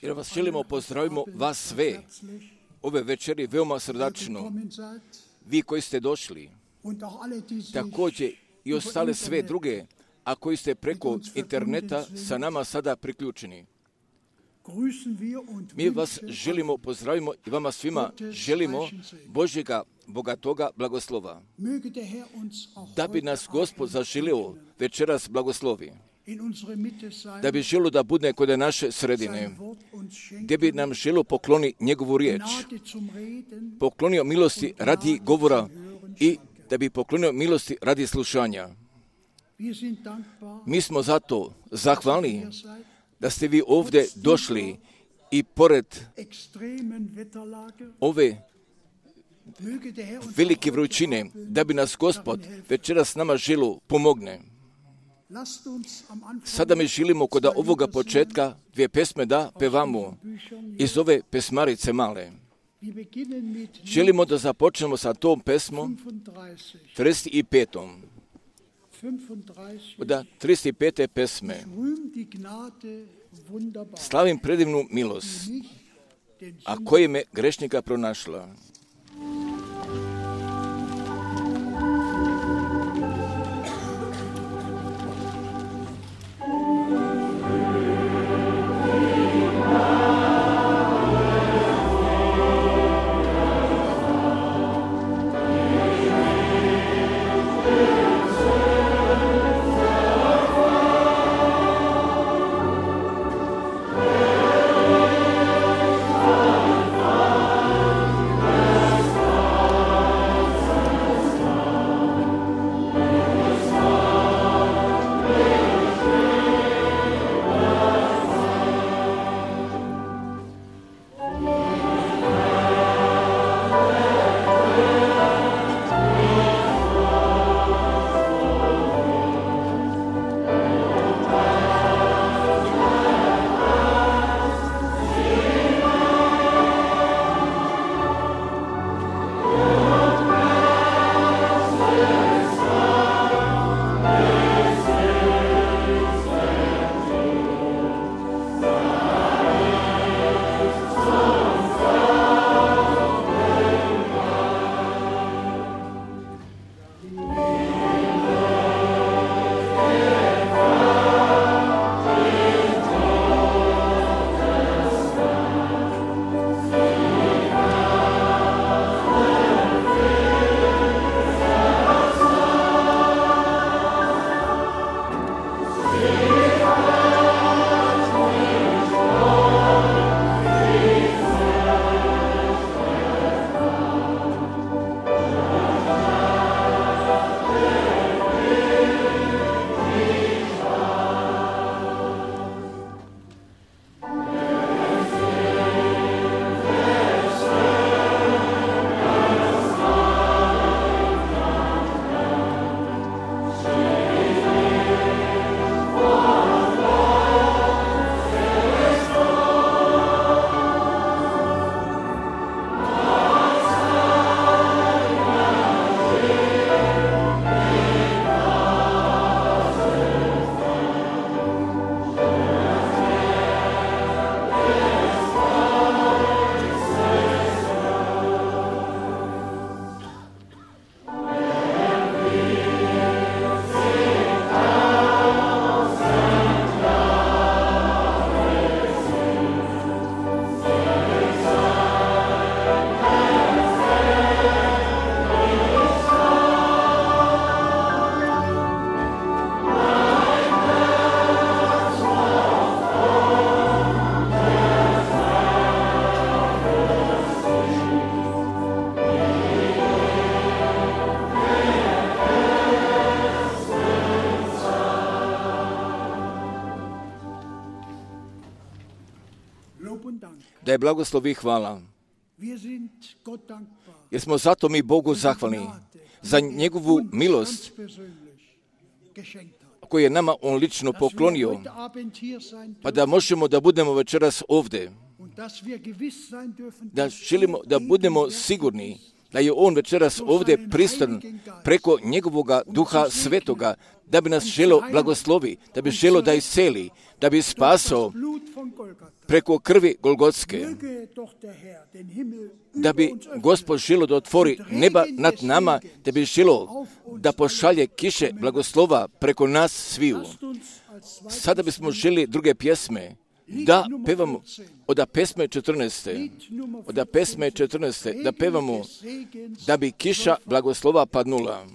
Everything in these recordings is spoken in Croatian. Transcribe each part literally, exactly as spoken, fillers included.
Jer vas želimo, pozdravimo vas sve ove večeri veoma srdačno. Vi koji ste došli, također i ostale sve druge, a koji ste preko interneta sa nama sada priključeni. Mi vas želimo, pozdravimo i vama svima želimo Božjega bogatoga blagoslova. Da bi nas Gospod zaželio večeras blagoslovi. Da bi želio da bude kod naše sredine. Gdje bi nam želio pokloni njegovu riječ. Poklonio milosti radi govora i da bi poklonio milosti radi slušanja. Mi smo zato zahvalni da ste vi ovdje došli i pored ove velike vrućine, da bi nas Gospod večeras nama želio pomogne. Sada mi želimo kod ovoga početka dvije pesme da pevamo iz ove pesmarice male. Želimo da započnemo sa tom pesmom trideset petom. Od trideset pete pesme. Slavim predivnu milost, a koje me grešnika pronašla. Da je blagoslov i hvala. Jer smo zato mi Bogu zahvalni za njegovu milost koju je nama on lično poklonio, pa da možemo da budemo večeras ovdje. Da želimo da budemo sigurni, da je on večeras ovdje prisutan preko njegovoga duha svetoga, da bi nas želo blagoslovi, da bi želo da isceli, da bi spasao preko krvi Golgotske, da bi Gospod želo da otvori neba nad nama, da bi želo da pošalje kiše blagoslova preko nas sviju. Sada bismo želi druge pjesme da pevamo od pesme četrnaeste, od pesme četrnaeste, da pevamo da bi kiša blagoslova padnula.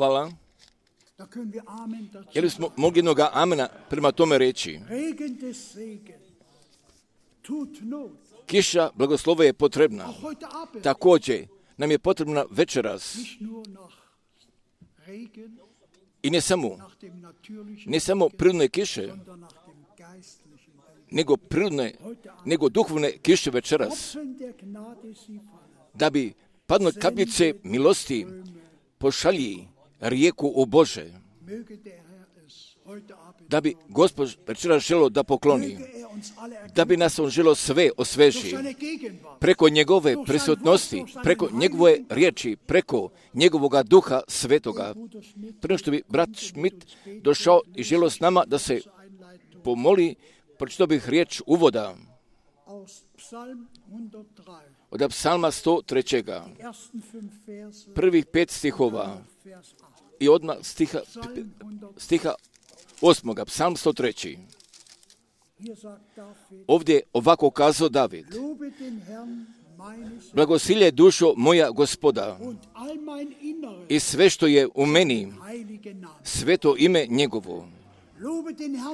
Hvala. Je li smo mogli jednog amena prema tome reći? Kiša blagoslova je potrebna. Također nam je potrebna večeras. I ne samo, ne samo prirodne kiše, nego prirodne, nego duhovne kiše večeras. Da bi padnule kapljice milosti pošalji rijeku o Bože. Da bi Gospod večeras želio da pokloni. Da bi nas on želio sve osveži. Preko njegove prisutnosti, preko njegove riječi, preko njegovoga duha svetoga. Prije što bi brat Schmidt došao i želio s nama da se pomoli, pročitao bih riječ uvoda. od psalma sto tri. Prvih pet stihova i odmah stiha, stiha osmoga, psalm sto tri. Ovdje ovako kazao David: blagosilje dušo moja Gospoda i sve što je u meni, sveto ime njegovo.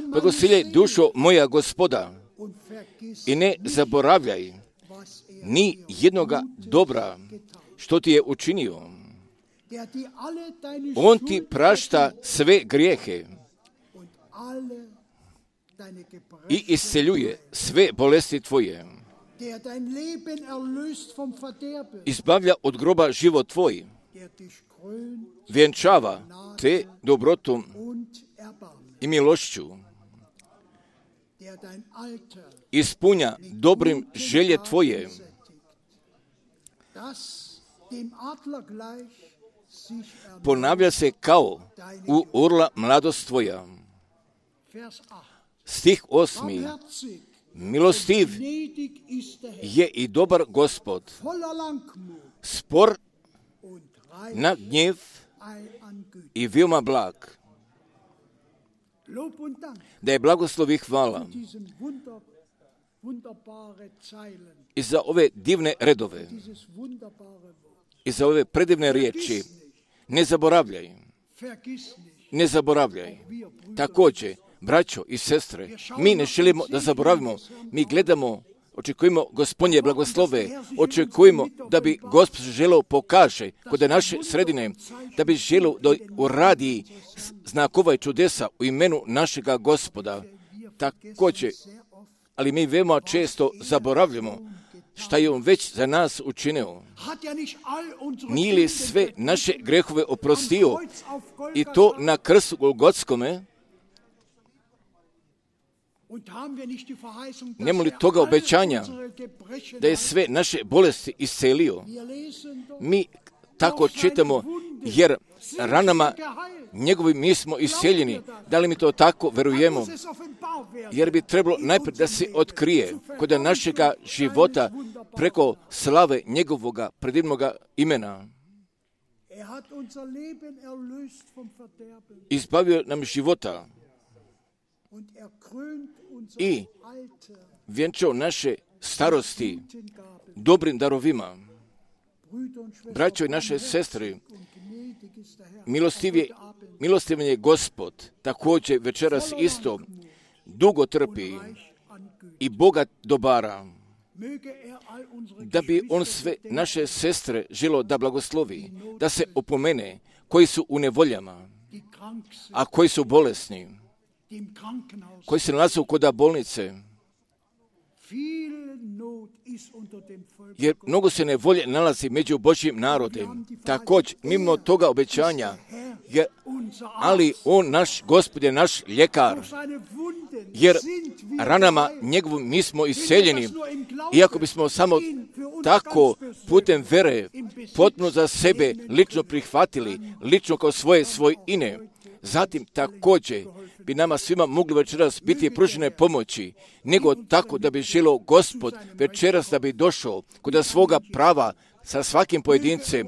Blagosilje dušo moja Gospoda i ne zaboravljaj ni jednoga dobra što ti je učinio. On ti prašta sve grijehe i isceljuje sve bolesti tvoje. Izbavlja od groba život tvoj. Vjenčava te dobrotom i milošću. Ispunja dobrim želje tvoje. Ponavlja se kao u orla mladost tvoja. Stih osmi. Milostiv je i dobar Gospod, spor na gnjev i veoma blag. Da je blagoslov i hvala i za ove divne redove i za ove predivne riječi. Ne zaboravljaj, ne zaboravljaj. Također, braćo i sestre, mi ne želimo da zaboravimo, mi gledamo, očekujemo Gospodnje blagoslove, očekujemo da bi Gospod želeo pokaže kod naše sredine, da bi želeo da uradi znakova i čudesa u imenu našega Gospoda. Također, ali mi veoma često zaboravljamo šta je on već za nas učinio. Nije li sve naše grehove oprostio i to na krstu Golgotskome? Nema li toga obećanja da je sve naše bolesti iscelio? Mi tako čitamo, jer ranama njegovim mi smo isceljeni. Da li mi to tako verujemo? Jer bi trebalo najprije da se otkrije kod našega života preko slave njegovoga predivnoga imena. Izbavio nam života i vjenčao naše starosti dobrim darovima. Braćo i naše sestre, milostivan je Gospod, također večeras isto dugo trpi i bogat dobara, da bi on sve naše sestre želio da blagoslovi, da se opomene koji su u nevoljama, a koji su bolesni, koji se nalaze kod bolnice. Jer mnogo se nevolje nalazi među Božjim narodem. Također, mimo toga obećanja, jer, ali on, naš Gospod, je naš ljekar, jer ranama njegovom mi smo isceljeni. Iako bismo samo tako putem vere potpuno za sebe lično prihvatili, lično kao svoje svojine, zatim također bi nama svima mogli večeras biti pružene pomoći, nego tako da bi želio Gospod večeras da bi došao kod svoga prava sa svakim pojedincem,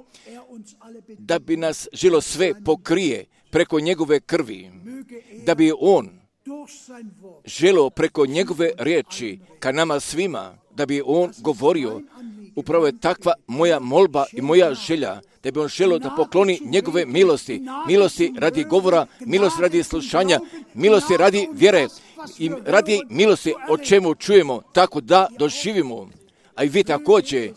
da bi nas želio sve pokrije preko njegove krvi, da bi on želio preko njegove riječi ka nama svima, da bi on govorio. Upravo je takva moja molba i moja želja, da bi on želio da pokloni njegove milosti, milosti radi govora, milosti radi slušanja, milosti radi vjere i radi milosti o čemu čujemo, tako da doživimo. A i vi također,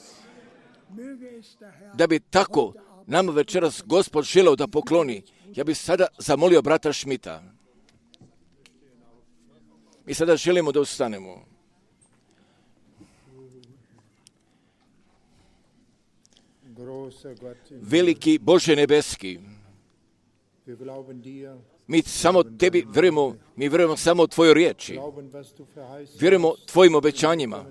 da bi tako nama večeras Gospod želio da pokloni. Ja bih sada zamolio brata Šmita. Mi sada želimo da ustanemo. Veliki Bože nebeski, mi samo tebi vjerujemo, mi vjerujemo samo tvojoj riječi, vjerujemo tvojim obećanjima,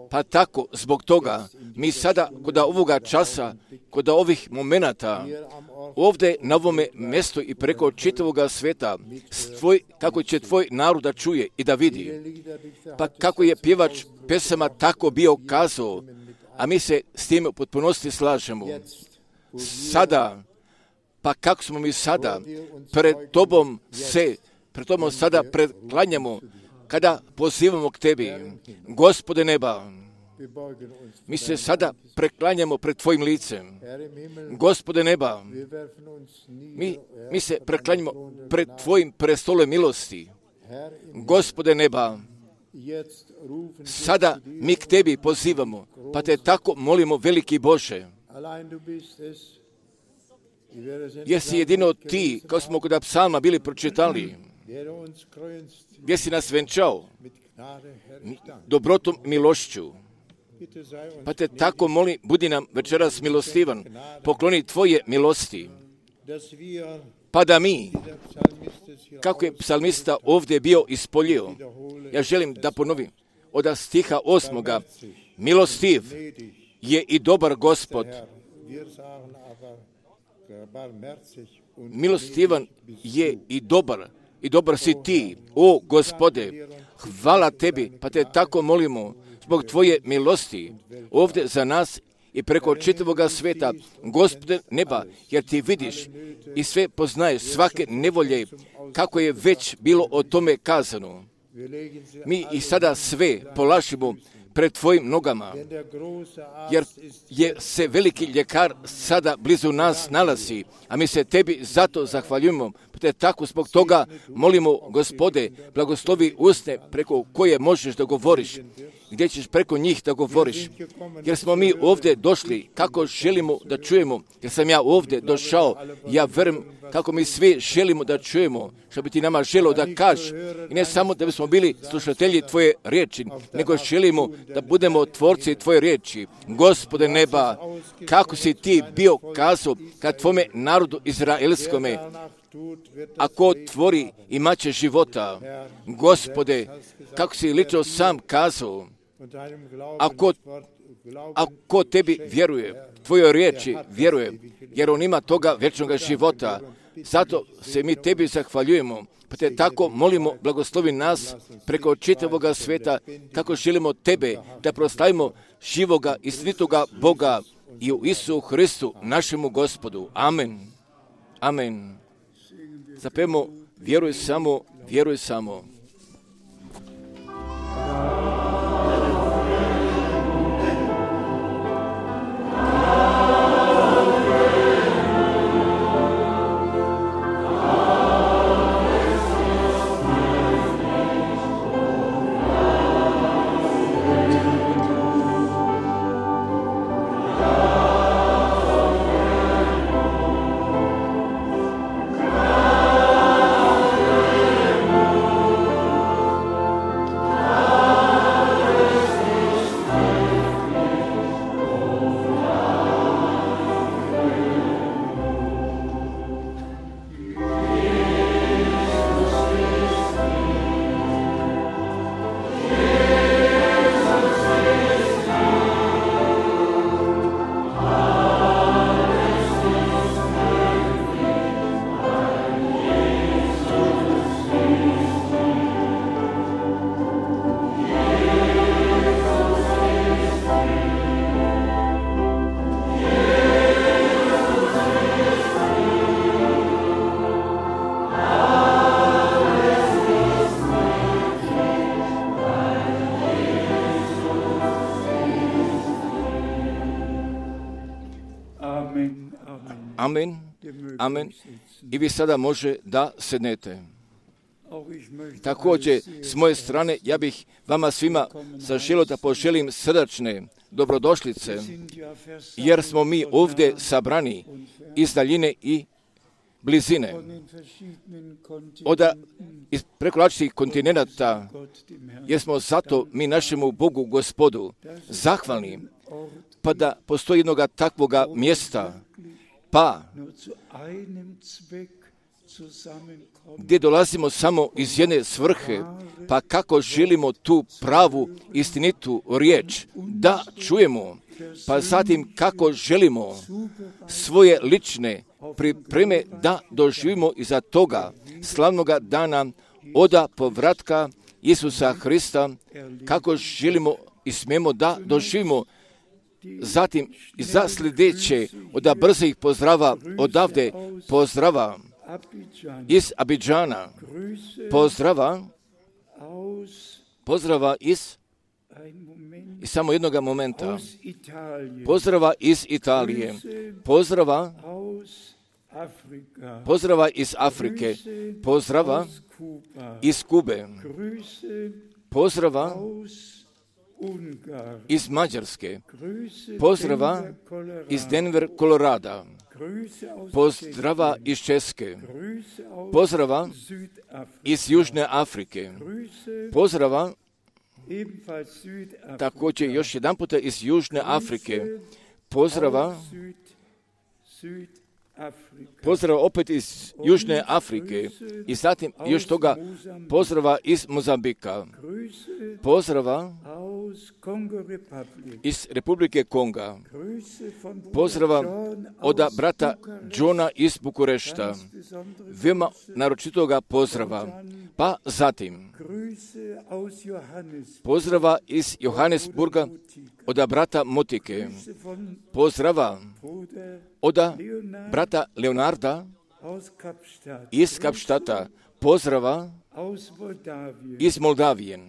pa tako zbog toga mi sada kod ovoga časa, kod ovih momenata, ovdje na ovome mjestu i preko čitavoga sveta, tvoj, kako će tvoj narod da čuje i da vidi, pa kako je pjevač pesama tako bio kazao, a mi se s tim u potpunosti slažemo. Sada, pa kako smo mi sada pred Tobom se, pred Tobom sada preklanjamo, kada pozivamo k Tebi, Gospode neba, mi se sada preklanjamo pred Tvojim licem. Gospode neba, mi, mi se preklanjamo pred Tvojim prestolom milosti. Gospode neba, sada mi k Tebi pozivamo, pa Te tako molimo, veliki Bože. Jesi jedino Ti, kao smo kod psalma bili pročitali, gdje si nas venčao dobrotom milošću. Pa Te tako moli, budi nam večeras milostivan, pokloni Tvoje milosti, pa da mi, kako je psalmista ovdje bio ispoljio, ja želim da ponovim, od stiha osmoga, milostiv je i dobar Gospod, milostivan je i dobar, i dobar si Ti, o Gospode, hvala Tebi, pa Te tako molimo, zbog Tvoje milosti, ovdje za nas i preko čitavoga sveta, Gospode neba, jer Ti vidiš i sve poznaješ, svake nevolje, kako je već bilo o tome kazano. Mi i sada sve polažimo pred Tvojim nogama, jer je se veliki ljekar sada blizu nas nalazi, a mi se Tebi zato zahvaljujemo. Te tako zbog toga molimo, Gospode, blagoslovi usne preko koje možeš da govoriš, gdje ćeš preko njih da govoriš, jer smo mi ovdje došli kako želimo da čujemo, jer sam ja ovdje došao, ja verujem kako mi svi želimo da čujemo, što bi Ti nama želio da kažeš, i ne samo da bismo bili slušatelji Tvoje riječi, nego želimo da budemo tvorci Tvoje riječi. Gospode neba, kako si Ti bio kazao kad Tvome narodu izraelskome, ako tvori imat će života. Gospode, kako si lično sam kazao, ako, ako Tebi vjeruje, Tvojoj riječi vjeruje, jer on ima toga vječnog života. Zato se mi Tebi zahvaljujemo, pa Te tako molimo, blagoslovi nas preko čitavoga sveta, kako želimo Tebe da proslavimo živoga i istinitoga Boga i u Isusu Hristu, našemu Gospodu. Amen. Amen. Zapevamo, vjeruj samo, vjeruj samo. Amen, amen. I vi sada može da sednete. Također, s moje strane, ja bih vama svima zaželio da poželim srdačne dobrodošlice, jer smo mi ovdje sabrani iz daljine i blizine. Od iz preko različitih kontinenata, jer smo zato mi našemu Bogu Gospodu zahvalni, pa da postoji jednoga takvoga mjesta, pa gdje dolazimo samo iz jedne svrhe, pa kako želimo tu pravu istinitu riječ da čujemo, pa zatim kako želimo svoje lične pripreme da doživimo iza toga slavnoga dana oda povratka Isusa Hrista, kako želimo i smijemo da doživimo zatim za sljedeće od brzih pozdrava odavde, pozdrava iz Abidžana, pozdrava, pozdrava iz, iz samo jednog momenta, pozdrava iz Italije, pozdrava, pozdrava iz Afrike, pozdrava iz Kube, pozdrava iz Mađarske, pozdrava iz Denver, Kolorada, pozdrava iz Česke, pozdrava iz Južne Afrike, pozdrava također još jedan puta iz Južne Afrike, pozdrava, pozdrava opet iz Južne Afrike i zatim još toga pozdrava iz Mozambika, pozdrava iz Republike Konga, pozdrava od brata Johna iz Bukurešta, veoma naročitoga pozdrava, pa zatim pozdrava iz Johannesburga od brata Motike, pozdrava od brata Leonarda iz Kapštata, pozdrava iz Moldavije,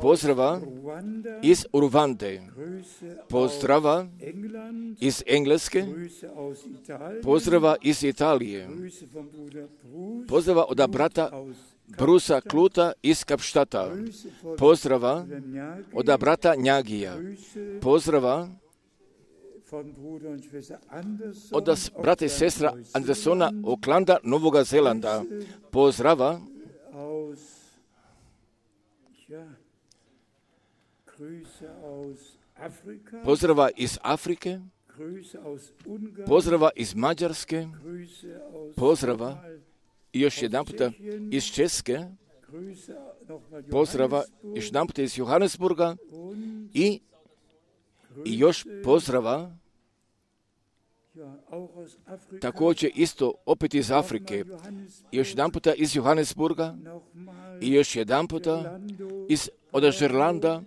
pozdrava iz Urvande, pozdrava iz Engleske, pozdrava iz Italije, pozdrava od brata Brusa Kluta iz Kapštata, pozdrava od brata Njagija, pozdrava od brata i sestra Andersona Oklanda, Novoga Zelanda, pozdrava pozdrava iz Afrike, pozdrava iz Mađarske, pozdrava i još jedan puta iz Česke, pozdrava još jedan puta iz Johannesburga i, i još pozdrava također isto opet iz Afrike, još jedan puta iz Johannesburga i još jedan puta iz od Žerlanda,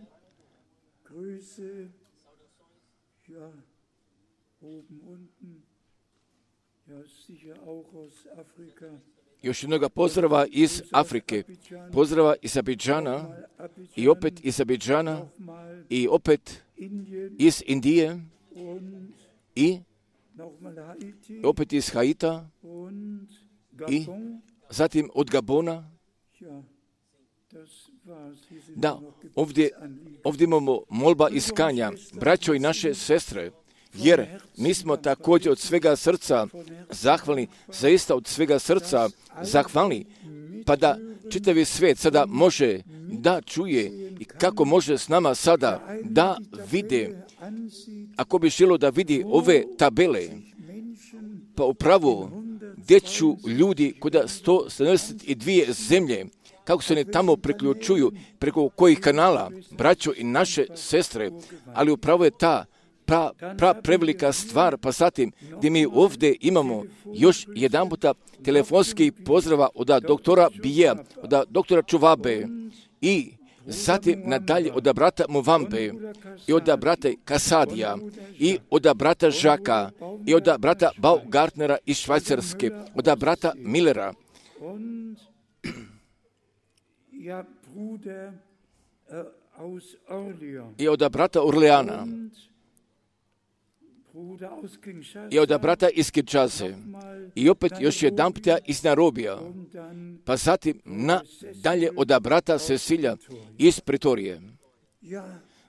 još jednoga pozdrava iz Afrike, pozdrava iz Abidžana i opet iz Abidžana i opet iz Indije i opet iz Haita i zatim od Gabona. Da, ovdje, ovdje imamo molba iskanja, braćo i naše sestre, jer mi smo također od svega srca zahvalni, zaista od svega srca zahvalni, pa da čitavi svijet sada može da čuje i kako može s nama sada da vide, ako bi želo da vidi ove tabele, pa upravo gdje ću ljudi kuda sto sedamdeset dvije zemlje, kako se ne tamo priključuju, preko kojih kanala, braćo i naše sestre, ali upravo je ta pra, pra prevelika stvar, pa zatim gdje mi ovdje imamo još jedan puta telefonski pozdrava od doktora Bija, od doktora Čuvabe i zatim nadalje od brata Movambe i od brata Kasadija i od brata Žaka i od brata Baugartnera iz Švajcarske, od brata Millera i od brata Orleana i od brata iz Kinshase i opet još jedan puta iz Nairobija, pa zatim nadalje od brata Cecilija iz Pretorije.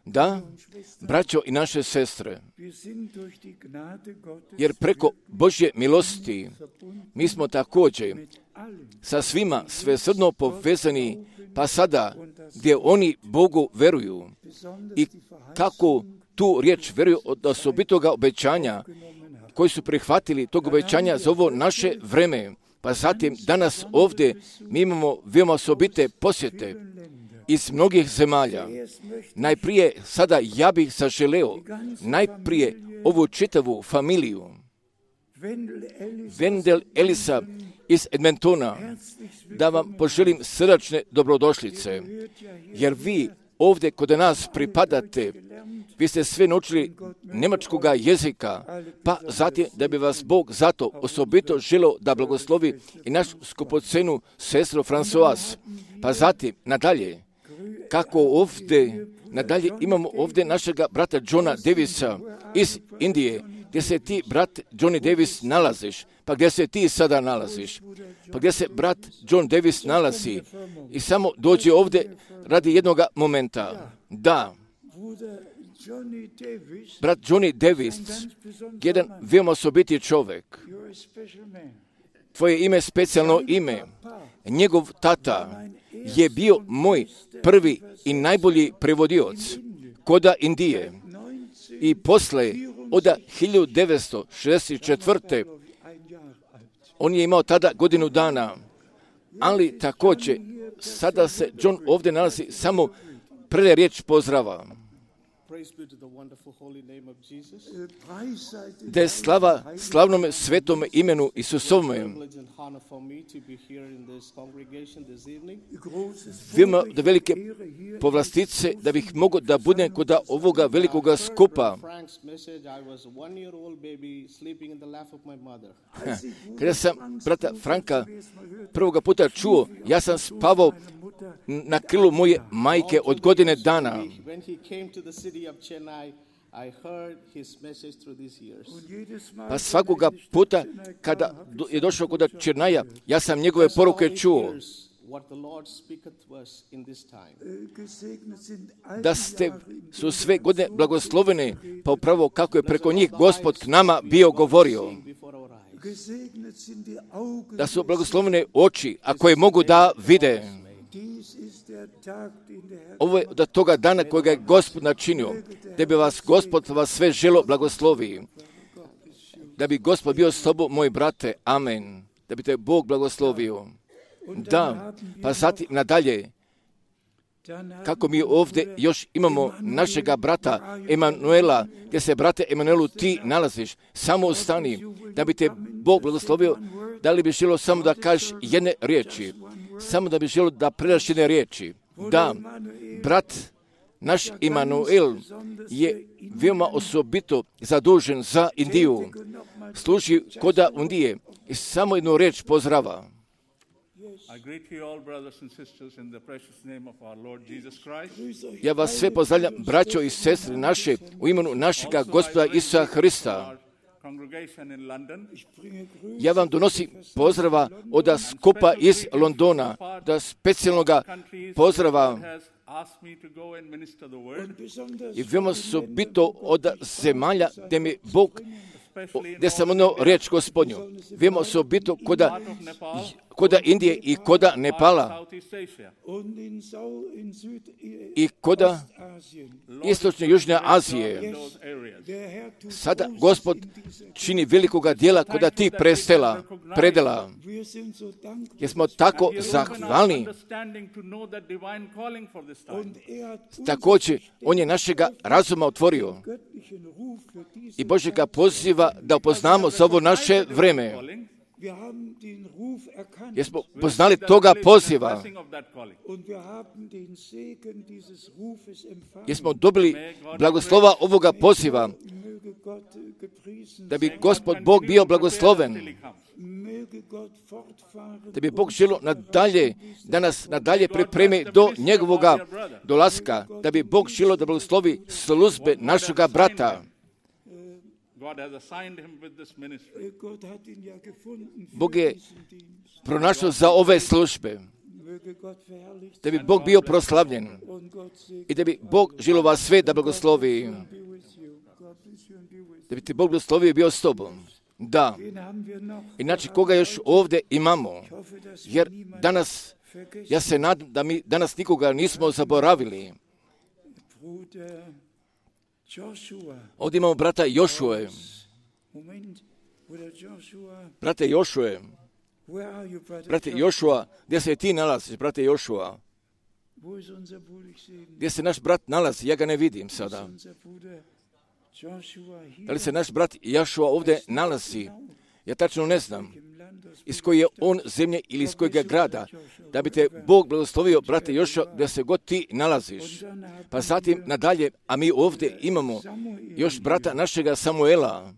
Da, braćo i naše sestre, jer preko Božje milosti mi smo također sa svima svesrdno povezani, pa sada gdje oni Bogu veruju i kako tu riječ veruju od osobitoga obećanja koji su prihvatili tog obećanja za ovo naše vreme, pa zatim danas ovdje mi imamo veoma osobite posjete iz mnogih zemalja. Najprije sada ja bih zaželeo najprije ovu čitavu familiju Wendel Elisa iz Edmontona da vam poželim srdačne dobrodošlice, jer vi ovdje kod nas pripadate, vi ste sve naučili njemačkoga jezika, pa zatim da bi vas Bog zato osobito želio da blagoslovi i našu skupocenu sestru Françoise. Pa zatim, nadalje, kako ovdje, nadalje imamo ovdje našega brata Johna Davisa iz Indije, gdje se ti, brat Johnny Davis, nalaziš, pa gdje se ti sada nalaziš, pa gdje se brat John Davis nalazi i samo dođe ovdje radi jednog momenta. Da, brat Johnny Davis, jedan veoma osobiti čovjek, tvoje ime je specijalno ime, njegov tata je bio moj prvi i najbolji prevodioc koda Indije i posle od hiljadu devetsto šezdeset četvrte. on je imao tada godinu dana, ali također sada se John ovdje nalazi samo prve riječ pozdrava. Da je slava slavnom svetom imenu Isusovome. Vima da velike povlastice da bih mogao da budem kod ovoga velikoga skupa. Kada sam brata Franka prvoga puta čuo, ja sam spavao na krilu moje majke od godine dana. Pa svakoga puta kada je došao kod Černaja, ja sam njegove poruke čuo. Da ste, su sve godine blagoslovene, pa upravo kako je preko njih Gospod k nama bio govorio. Da su blagoslovene oči, a koje mogu da vide. Ovo je od toga dana kojega je Gospod načinio, da bi vas Gospod vas sve želo blagoslovi. Da bi Gospod bio s tobom, moj brate, amen. Da bi te Bog blagoslovio. Da, pa zatim nadalje, kako mi ovdje još imamo našega brata Emanuela, gdje se, brate Emanuelu, ti nalaziš, samo ostani, da bi te Bog blagoslovio. Da li bi želo samo da kažeš jedne riječi? Samo da bi želo da predaš jedne riječi. Da, brat naš Emanuel je veoma osobito zadužen za Indiju. Služi koda Indije i samo jednu riječ pozdrava. Ja vas sve pozdravljam, braćo i sestre naše, u imenu našega Gospoda Isusa Hrista. Ja vam donosim pozdrava od skupa iz Londona, da specijalnoga pozdrava i veoma osobito od zemalja gdje mi Bog, gdje sam ono riječ Gospodnju, veoma osobito koda, koda Indije i koda Nepala i koda istočne i južne Azije. Sada Gospod čini velikoga dijela koda ti prestela, predela. Jer smo tako zahvalni. Također, on je našega razuma otvorio i Bože ga poziva da upoznamo za ovo naše vreme. Jer smo poznali toga poziva. Jer smo dobili blagoslova ovoga poziva. Da bi Gospod Bog bio blagosloven. Da bi Bog želio nadalje, da nas nadalje pripremi do njegovoga dolaska. Da bi Bog želio da blagoslovi službe našega brata. Bog je pronašao za ove službe. Da bi Bog bio proslavljen. I da bi Bog želio vas sve da blagoslovi. Da bi ti Bog blagoslovio i bio s tobom. Da. Inače, koga još ovdje imamo? Jer danas, ja se nadam da mi danas nikoga nismo zaboravili. Ovdje imamo brata Jošue. Brate Jošue. Brate Jošua, gdje se ti nalaziš, brate Jošua? Gdje se naš brat nalazi? Ja ga ne vidim sada. Da li se naš brat Jošua ovdje nalazi? Ja tačno ne znam iz koje je on zemlje ili iz kojega grada, da bi te Bog blagoslovio, brate Jošo, da se god ti nalaziš. Pa zatim nadalje, a mi ovdje imamo još brata našega Samuela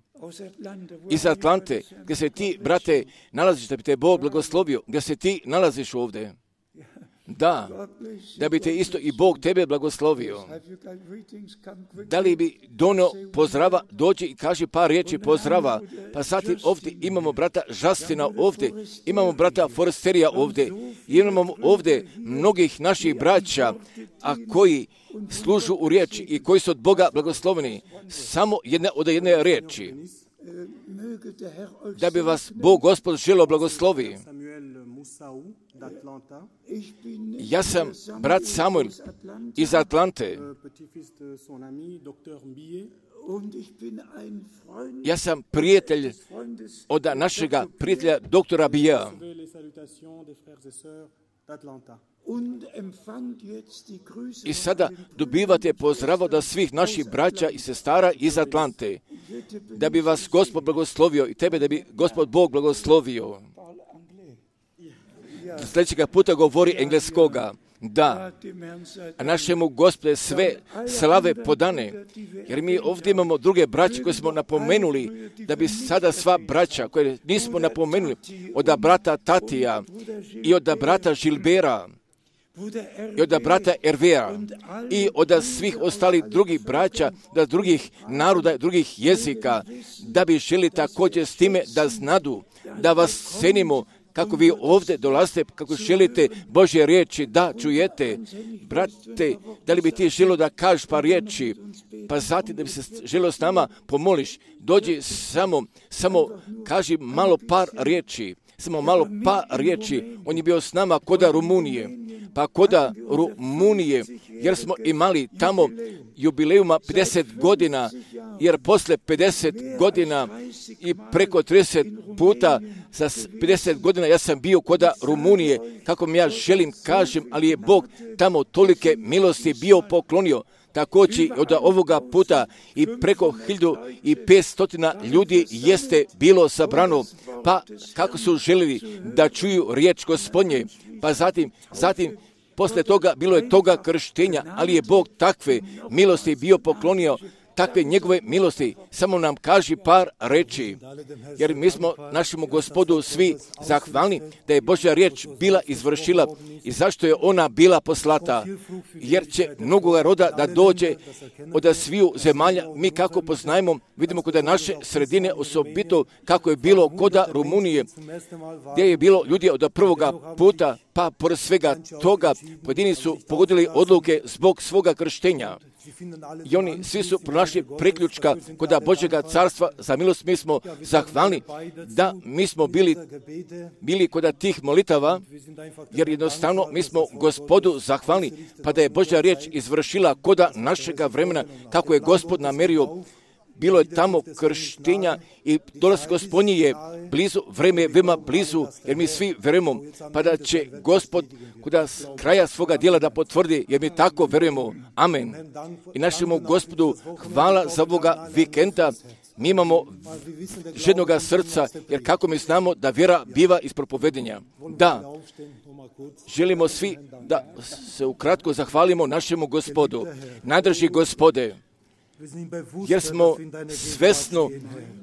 iz Atlante, gdje se ti, brate, nalaziš, da bi te Bog blagoslovio, gdje se ti nalaziš ovdje. Da, da bi te isto i Bog tebe blagoslovio. Da li bi donio pozdrava, dođi i kaži par riječi pozdrava. Pa zatim ovdje imamo brata Žastina ovdje, imamo brata Forsterija ovdje, imamo ovdje mnogih naših braća, a koji služu u riječi i koji su od Boga blagosloveni. Samo jedne od jedne riječi. Da bi vas Bog Gospod želio blagoslovi. Ja sam brat Samuel iz Atlante. Ja sam prijatelj od našega prijatelja doktora Bija. I sada dobivate pozdrav od svih naših braća i sestara iz Atlante. Da bi vas Gospod blagoslovio i tebe da bi Gospod Bog blagoslovio. Sljedećega puta govori engleskoga. Da, a našemu Gospode sve slave podane, jer mi ovdje imamo druge braće koje smo napomenuli, da bi sada sva braća koje nismo napomenuli, od brata Tatija i od brata Žilbera, i od brata Ervera i od svih ostalih drugih braća, da drugih naroda, drugih jezika, da bi želi također s time da znadu, da vas cenimo, kako vi ovdje dolazite, kako želite Božje riječi, da čujete. Brate, da li bi ti želio da kažeš par riječi, pa zatim da bi se želio s nama pomoliš, dođi samo, samo kaži malo par riječi, samo malo par riječi. On je bio s nama koda Rumunije, pa koda Rumunije, jer smo imali tamo jubileuma pedeset godina, jer posle pedeset godina i preko trideset puta za pedeset godina ja sam bio koda Rumunije, kako mi ja želim kažem, ali je Bog tamo tolike milosti bio poklonio. Također od ovoga puta i preko hiljadu i petstotina ljudi jeste bilo sabrano, pa kako su željeli da čuju riječ Gospodnje, pa zatim, zatim posle toga bilo je toga krštenja, ali je Bog takve milosti bio poklonio, takve njegove milosti. Samo nam kaži par reči, jer mi smo našemu Gospodu svi zahvalni da je Božja riječ bila izvršila i zašto je ona bila poslata, jer će mnogoga roda da dođe od sviju zemalja. Mi kako poznajemo, vidimo kod naše sredine osobito kako je bilo koda Rumunije, gdje je bilo ljudi od prvoga puta, pa pored svega toga pojedini su pogodili odluke zbog svoga krštenja. I oni svi su pronašli priključka kod Božjega carstva. Za milost mi smo zahvalni da mi smo bili, bili kod tih molitava, jer jednostavno mi smo Gospodu zahvalni, pa da je Božja riječ izvršila kod našega vremena, kako je Gospod namerio. Bilo je tamo krštenja i dolazak Gospodnji je blizu, vreme je veoma blizu, jer mi svi verujemo, pa da će Gospod kod kraja svoga djela da potvrdi, jer mi tako verujemo. Amen. I našemu Gospodu hvala za ovoga vikenda. Mi imamo žednoga srca, jer kako mi znamo da vjera biva iz propovedenja. Da, želimo svi da se ukratko zahvalimo našemu Gospodu. Najdrži Gospode, jer smo svesno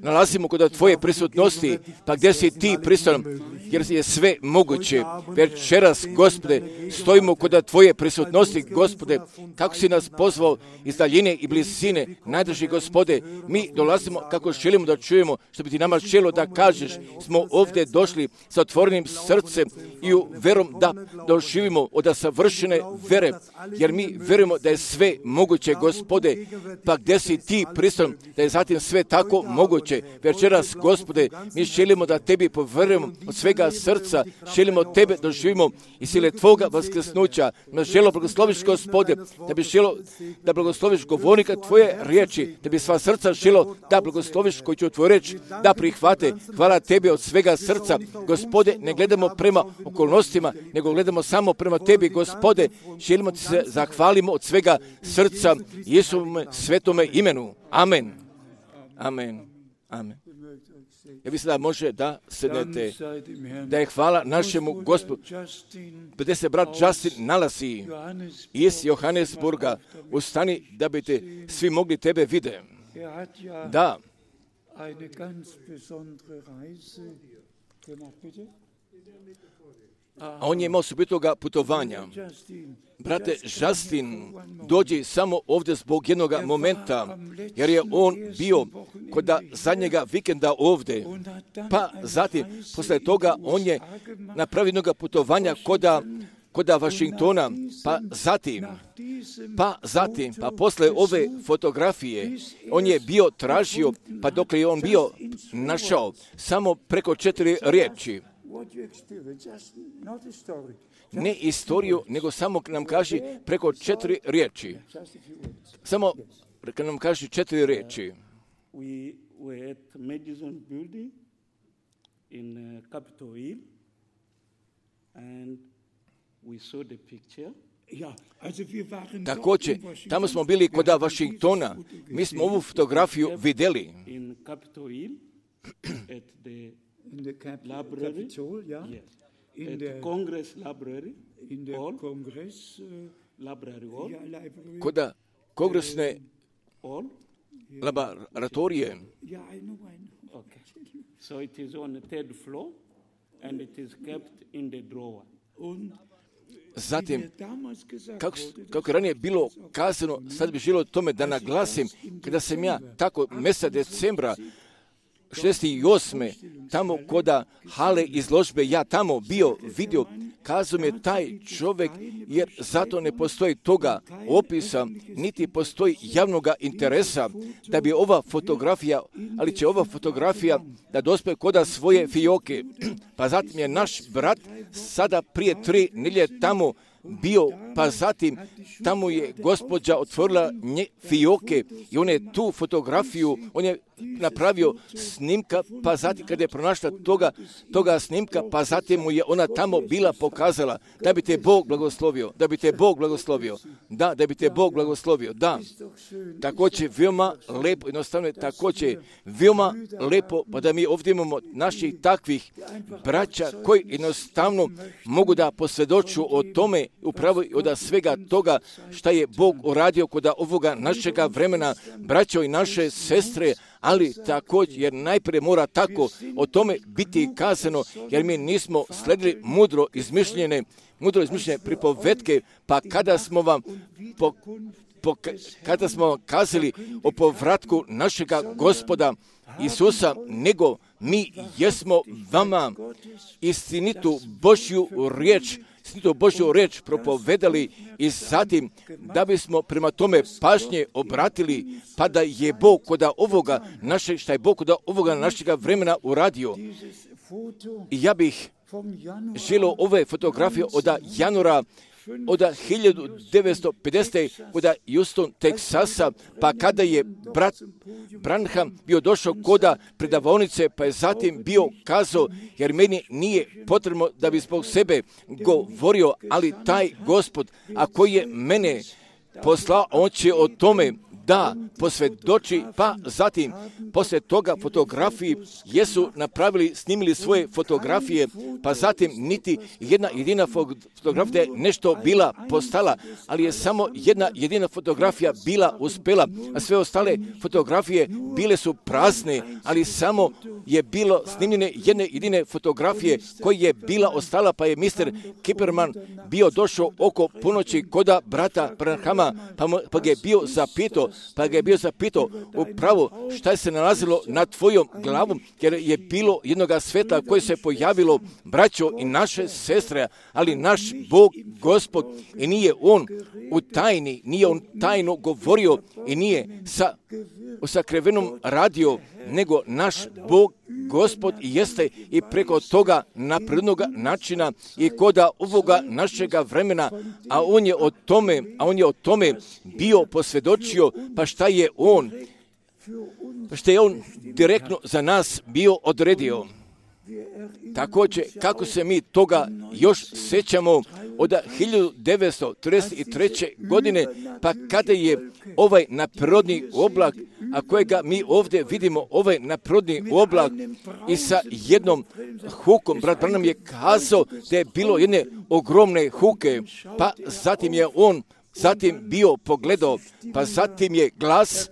nalazimo kod tvoje prisutnosti, pa gdje si ti prisutan, jer je sve moguće. Večeras, Gospode, stojimo kod tvoje prisutnosti, Gospode, kako si nas pozvao iz daljine i blizine. Najdrži Gospode, mi dolazimo kako želimo da čujemo, što bi ti nama želio da kažeš. Smo ovdje došli sa otvorenim srcem i u verom da doživimo od savršene vere, jer mi verujemo da je sve moguće, Gospode, pa gdje si ti prisutan, da je zatim sve tako moguće. Večeras, Gospode, mi želimo da tebi poverujemo od svega srca, želimo tebe doživimo i sile tvoga vaskrsnuća. Mi želimo blagosloviš, Gospode, da bi želio da blagosloviš govornika tvoje riječi, da bi sva srca želio da blagosloviš koji će tvoju riječ da prihvate. Hvala tebi od svega srca, Gospode, ne gledamo prema okolnostima, nego gledamo samo prema tebi, Gospode. Želimo ti se zahvalimo od svega srca Jesuvome svetome imenu. Amen. Amen. Amen. Ja vi sada može da sednete, da je hvala našemu Gospodu, gdje se brat Justin nalazi iz Johannesburga, ustani da bi te svi mogli tebe vide. Da. A on je imao osobitoga putovanja. Brate Justin dođi samo ovdje zbog jednog momenta, jer je on bio kod zadnjega vikenda ovdje. Pa zatim, posle toga, on je napravio jednog putovanja koda kod Vašingtona, pa zatim, pa zatim, pa posle ove fotografije, on je bio tražio, pa dok je on bio našao samo preko četiri riječi. Ne istoriju, nego samo nam kaže preko četiri riječi. Samo kad nam kaže četiri riječi. We were at Madison Building in Capitol Hill and we saw the picture. Također, tamo smo bili kod Vašingtona. Mi smo ovu fotografiju vidjeli. In Capitol Hill at the in the library, Capitol, yeah. Yes. In at the Congress Library, in the hall, Congress uh, Library Hall, yeah, library. Kod kongresne hall, laboratorije. Yeah, I know, I know. Okay. So it is on the third floor, and it is kept in the drawer. Und zatim, kako, kako je ranije bilo kazano, sad bi želio tome da naglasim, kada sam ja tako mjeseca decembra šezdeset osme tamo koda hale izložbe, ja tamo bio vidio, kazao mi je taj čovjek, jer zato ne postoji toga opisa, niti postoji javnog interesa da bi ova fotografija, ali će ova fotografija da dospe koda svoje fioke. Pa zatim je naš brat sada prije tri nedjelje tamo bio, pa zatim tamo je gospođa otvorila nje fioke i on je tu fotografiju, on je napravio snimka, pa zatim kada je pronašla toga, toga snimka, pa zatim mu je ona tamo bila pokazala da bi te Bog blagoslovio, da bi te Bog blagoslovio, da, da bi te Bog blagoslovio, da. Također veoma lepo, jednostavno je također veoma lepo, pa da mi ovdje imamo naših takvih braća koji jednostavno mogu da posvjedoču o tome, upravo od svega toga šta je Bog uradio kod ovoga našega vremena, braćo i naše sestre, ali također, jer najprije mora tako o tome biti kazano, jer mi nismo sledili mudro izmišljene, mudro izmišljene pripovetke, pa kada smo vam po, po, kada smo vam kazali o povratku našega Gospoda Isusa, nego mi jesmo vama istinitu Božju riječ, istinitu Božju riječ propovedali i zatim da bismo prema tome pažnje obratili, pa da je Bog kod ovoga našeg, šta je Bog kod ovoga našega vremena uradio. I ja bih želio ove fotografije od januara od hiljadu devetsto pedesete od Houston, Teksasa, pa kada je brat Branham bio došao koda predavaonice, pa je zatim bio kazao, jer meni nije potrebno da bi zbog sebe govorio, ali taj Gospod, a koji je mene poslao, on će o tome da posvjedoči, pa zatim poslije toga fotografiji jesu napravili, snimili svoje fotografije, pa zatim niti jedna jedina fotografija je nešto bila postala, ali je samo jedna jedina fotografija bila uspjela, a sve ostale fotografije bile su prazne, ali samo je bilo snimljene jedne jedine fotografije koja je bila ostala, pa je mister Kiperman bio došao oko ponoći koda brata Branhama, pa, pa ga je bio zapitao, pa ga je bio zapitao upravo šta je se nalazilo nad tvojom glavom, jer je bilo jednoga sveta koje se pojavilo, braćo i naše sestre, ali naš Bog, Gospod, i nije on u tajni, nije on tajno govorio i nije sa sakrivenom radio, nego naš Bog, Gospod jeste i preko toga na prirodnog načina i koda ovoga našega vremena, a on je o tome, a on je o tome bio posvjedočio, pa šta je on, pa šta je on direktno za nas bio odredio. Također, kako se mi toga još sjećamo od hiljadu devetsto trideset treće. godine, pa kada je ovaj naprirodni oblak, a kojega mi ovdje vidimo, ovaj naprirodni oblak i sa jednom hukom, brat Branham je kazao da je bilo jedne ogromne huke, pa zatim je on zatim bio pogledao, pa zatim je glas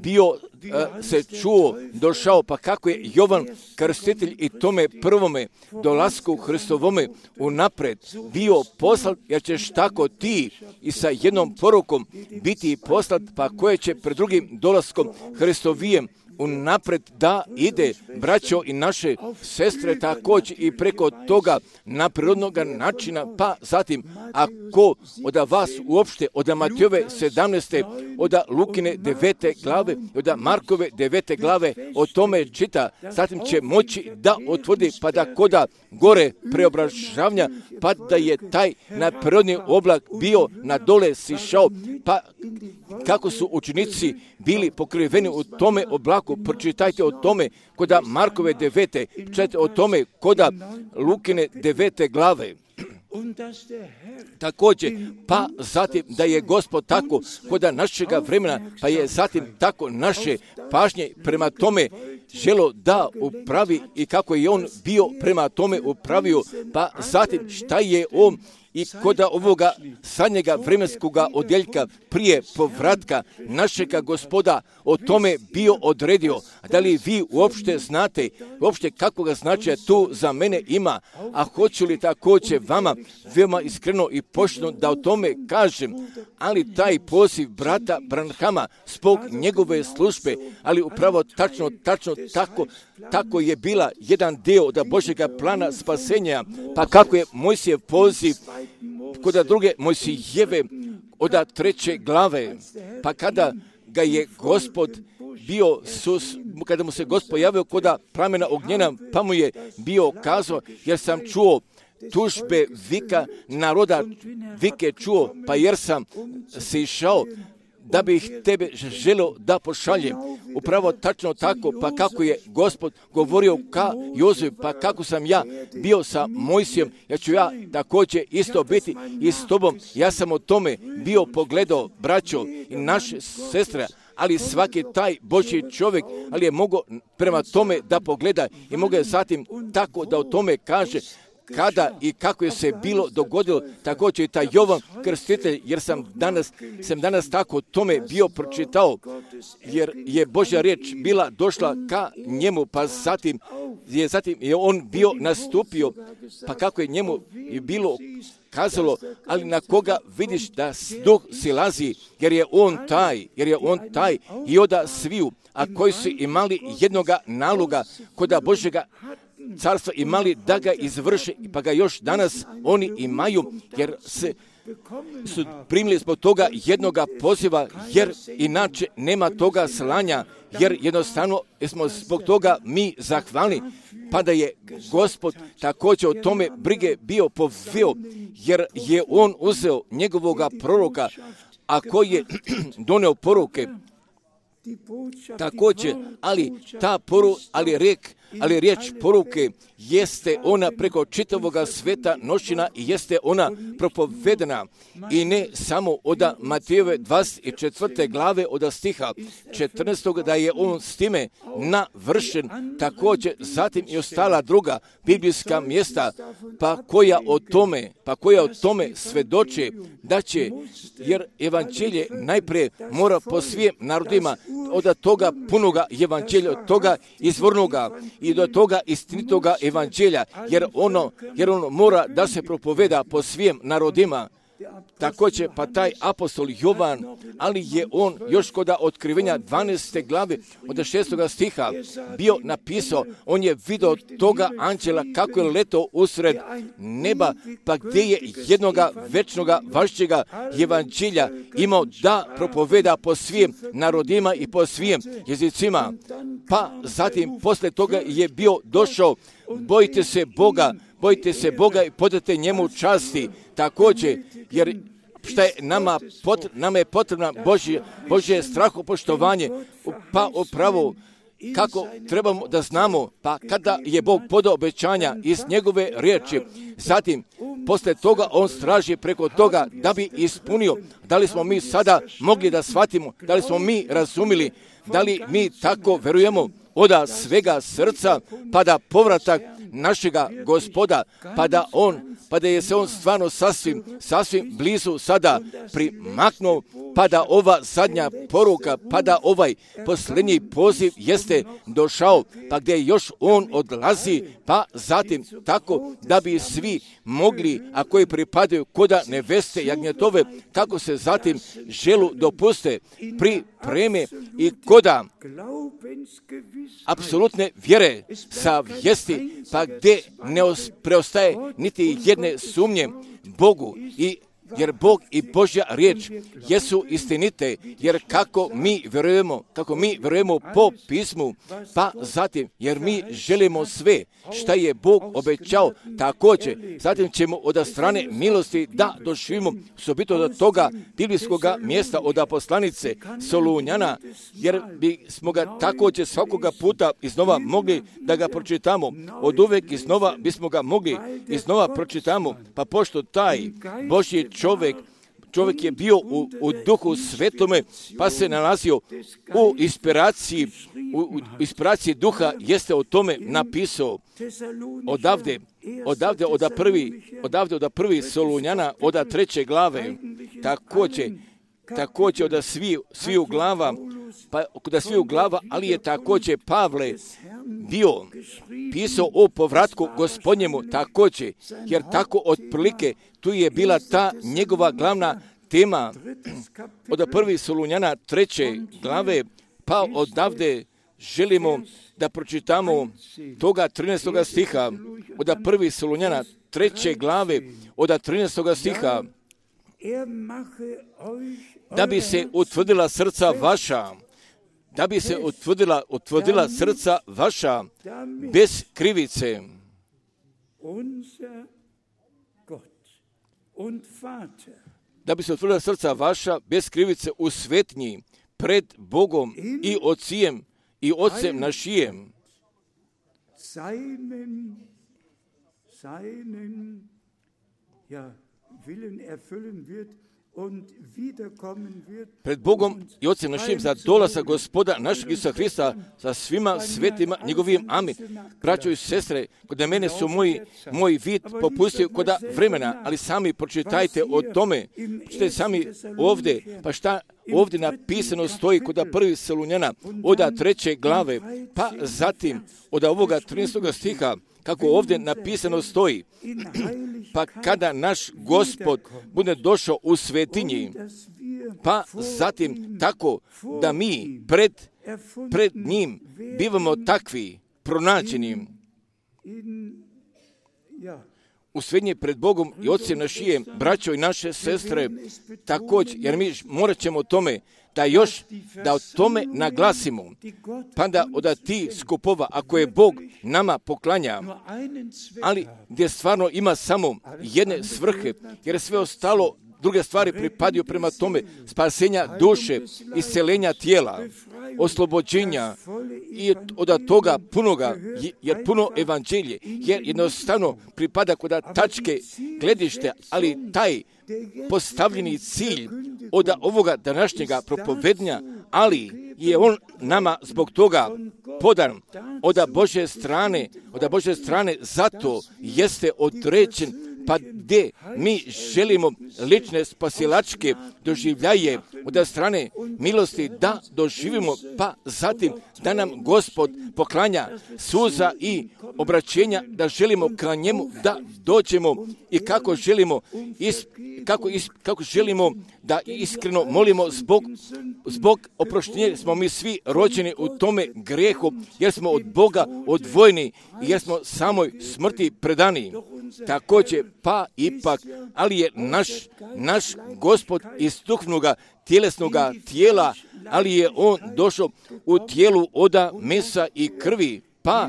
bio a, se čuo, došao, pa kako je Jovan Krstitelj i tome prvome dolasku Hristovome unapred bio poslat, jer ćeš tako ti i sa jednom porukom biti poslat, pa koje će pred drugim dolaskom Hristovijem unapred da ide, braćo i naše sestre, također i preko toga naprirodnog načina, pa zatim ako od vas uopšte od Matejove sedamnaeste, od Lukine devete glave, od Markove devete glave o tome čita, zatim će moći da otvrdi, pa da koda gore preobražavanja, pa da je taj naprirodni oblak bio na dole sišao, pa kako su učenici bili pokriveni u tome oblaku, pročitajte o tome koda Markove devete, pročitajte o tome koda Lukine devete glave. Također, pa zatim da je Gospod tako koda našega vremena, pa je zatim tako naše pažnje prema tome želo da upravi i kako je on bio prema tome upravio, pa zatim šta je on i koda ovoga sadnjega vremenskoga odjeljka prije povratka našega Gospoda o tome bio odredio. Da li vi uopšte znate, uopšte kakvoga značaja tu za mene ima, a hoću li također vama veoma iskreno i pošteno da o tome kažem, ali taj poziv brata Branhama zbog njegove službe, ali upravo tačno, tačno tako, tako je bila jedan dio od Božjega plana spasenja, pa kako je Mojsijev poziv kod druge Mojsijeve od treće glave, pa kada ga je Gospod bio, sus, kada mu se Gospod javio kod plamena ognjena, pa mu je bio kazao, jer sam čuo tužbe vika naroda, vike čuo, pa jer sam se išao da bih tebe želio da pošaljem. Upravo tačno tako, pa kako je Gospod govorio ka Jozef, pa kako sam ja bio sa Mojsijem, ja ću ja također isto biti i s tobom. Ja sam o tome bio pogledao, braćo i naše sestre, ali svaki taj Božji čovjek, ali je mogao prema tome da pogleda i mogao je zatim tako da o tome kaže kada i kako je se bilo dogodilo, također i taj Jovan Krstitelj, jer sam danas, sam danas tako tome bio pročitao, jer je Božja riječ bila došla ka njemu, pa zatim je, zatim je on bio nastupio, pa kako je njemu i bilo kazalo, ali na koga vidiš da duh silazi, jer je on taj, jer je on taj i oda sviju, a koji su imali jednoga naloga koda Božjega carstva imali da ga izvrše, pa ga još danas oni imaju, jer se su primili zbog toga jednoga poziva, jer inače nema toga slanja, jer jednostavno smo zbog toga mi zahvalni, pa da je Gospod također o tome brige bio poveo, jer je on uzeo njegovoga proroka, a koji je doneo poruke, također, ali ta poru, ali rek, ali riječ poruke jeste ona preko čitavoga sveta noćina i jeste ona propovedena i ne samo od Matejove dvadeset četvrte glave od stiha četrnaestog da je on s time navršen, također zatim i ostala druga biblijska mjesta pa koja o tome, pa koja o tome svedoče da će, jer evanđelje najprije mora po svim narodima od toga punoga evanđelja, od toga izvornoga i do toga istinitoga evanđelja, jer ono, jer ono mora da se propoveda po svim narodima. Također pa taj apostol Jovan, ali je on još kod otkrivenja dvanaeste glave od šestoga stiha bio napisao, on je vidio toga anđela kako je letao usred neba, pa gdje je jednoga večnoga važćega evanđelja imao da propoveda po svim narodima i po svim jezicima. Pa zatim posle toga je bio došao, bojite se Boga, bojite se Boga i podajte njemu časti. Također, jer šta je nama, pot, nama je potrebno Božje, Božje strahopoštovanje, pa upravo kako trebamo da znamo, pa kada je Bog podao obećanja iz njegove riječi, zatim posle toga on straži preko toga da bi ispunio. Da li smo mi sada mogli da shvatimo, da li smo mi razumili, da li mi tako verujemo od svega srca, pa da povratak našega Gospoda, pa da on, pa da je se on stvarno sasvim, sasvim blizu sada primaknuo, pa da ova zadnja poruka, pa da ovaj posljednji poziv jeste došao, pa gdje još on odlazi, pa zatim tako da bi svi mogli, a koji pripadaju koda neveste jagnjetove, kako se zatim želu dopuste, pripreme i koda apsolutne vjere sa vijesti, pa gdje ne preostaje niti jedne sumnje Bogu, i jer Bog i Božja riječ jesu istinite, jer kako mi vjerujemo, kako mi vjerujemo po pismu, pa zatim, jer mi želimo sve šta je Bog obećao, također, zatim ćemo od strane milosti da doživimo osobito do toga biblijskog mjesta od poslanice Solunjana, jer bi smo ga također svakoga puta iznova mogli da ga pročitamo, od uvek iznova bismo ga mogli iznova pročitamo, pa pošto taj Božji čovjek, čovjek je bio u, u duhu svetome, pa se nalazio u inspiraciji, u, u inspiraciji duha, jeste o tome napisao odavde, odavde od prvi, odavde od prvi Solunjana, od treće glave, također, također od svi, sviju glava, pa da sviju glava, ali je također Pavle bio pisao o povratku Gospodnjemu također, jer tako otprilike tu je bila ta njegova glavna tema od prvi Solunjana treće glave, pa odavde želimo da pročitamo toga trinaestoga stiha, od prvi Solunjana treće glave, od trinaestoga stiha, da bi se utvrdila srca vaša, da bi se utvrdila, utvrdila srca vaša bez krivice. Da bi se utvrdila srca vaša bez krivice u svetnji pred Bogom i Ocijem i Ocem našijem. Seinen, seinen, ja, Willen erfüllen wird. Pred Bogom i Ocem našim za dolazak Gospoda našeg Isusa Hrista sa svima svetima njegovim. Amin. Braćo i sestre, kod mene su moji, moj vid popustio kod vremena, ali sami pročitajte o tome. Pročitajte sami ovdje, pa šta ovdje napisano stoji kod prvi Solunjana od treće glave, pa zatim od ovoga trinaestoga stiha, kako ovdje napisano stoji, pa kada naš Gospod bude došao u svetinji, pa zatim tako da mi pred, pred njim bivamo takvi, pronađeni u svetinji pred Bogom i Ocem našijem, braćo i naše sestre, također, jer mi morat ćemo o tome da još, da o tome naglasimo, pa da od ti skupova, ako je Bog nama poklanja, ali gdje stvarno ima samo jedne svrhe, jer sve ostalo, druge stvari pripadaju prema tome, spasenja duše, isceljenja tijela, oslobođenja i od toga punoga, jer puno evanđelje, jer jednostavno pripada kod tačke gledište, ali taj postavljeni cilj od ovoga današnjega propovednja, ali je on nama zbog toga podan od Božje strane, od Božje strane, zato jeste određen, pa gdje mi želimo lične spasilačke doživljaje od strane milosti da doživimo, pa zatim da nam Gospod poklanja suza i obraćenja, da želimo ka njemu da dođemo i kako želimo, is, kako, is, kako želimo da iskreno molimo zbog, zbog oproštenja, smo mi svi rođeni u tome grehu, jer smo od Boga odvojeni i jer smo samoj smrti predani. Također, pa ipak, ali je naš, naš Gospod iz duhovnoga tjelesnoga tijela, ali je on došao u tijelu oda mesa i krvi, pa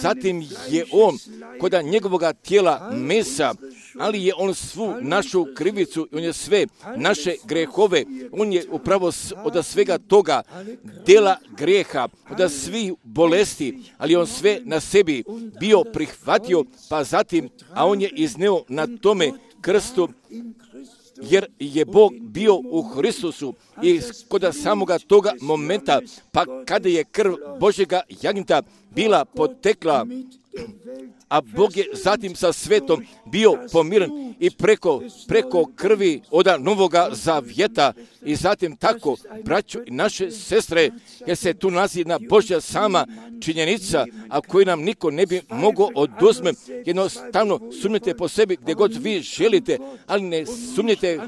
zatim je on kod njegovoga tijela mesa ali je on svu našu krivicu, on je sve naše grehove, on je upravo od svega toga dela grijeha, od svih bolesti, ali on sve na sebi bio prihvatio, pa zatim, a on je izneo na tome krstu, jer je Bog bio u Hristusu i kod samoga toga momenta, pa kada je krv Božjega jagnjeta bila potekla, a Bog je zatim sa svetom bio pomiren i preko, preko krvi oda novoga zavjeta i zatim tako, braćo i naše sestre, jer se tu nalazi jedna Božja sama činjenica, a koju nam niko ne bi mogao oduzme. Jednostavno sumnjate po sebi gdje god vi želite, ali ne sumnjate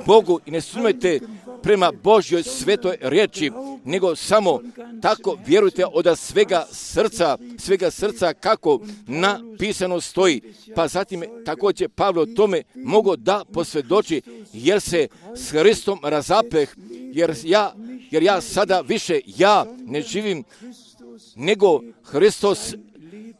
Bogu i ne sumnjate prema Božjoj svetoj riječi, nego samo tako vjerujte od svega srca, svega srca kako napisano stoji. Pa zatim također Pavlo tome mogo da posvjedoči, jer se s Hristom razapeh, jer ja, jer ja sada više ja ne živim, nego Hristos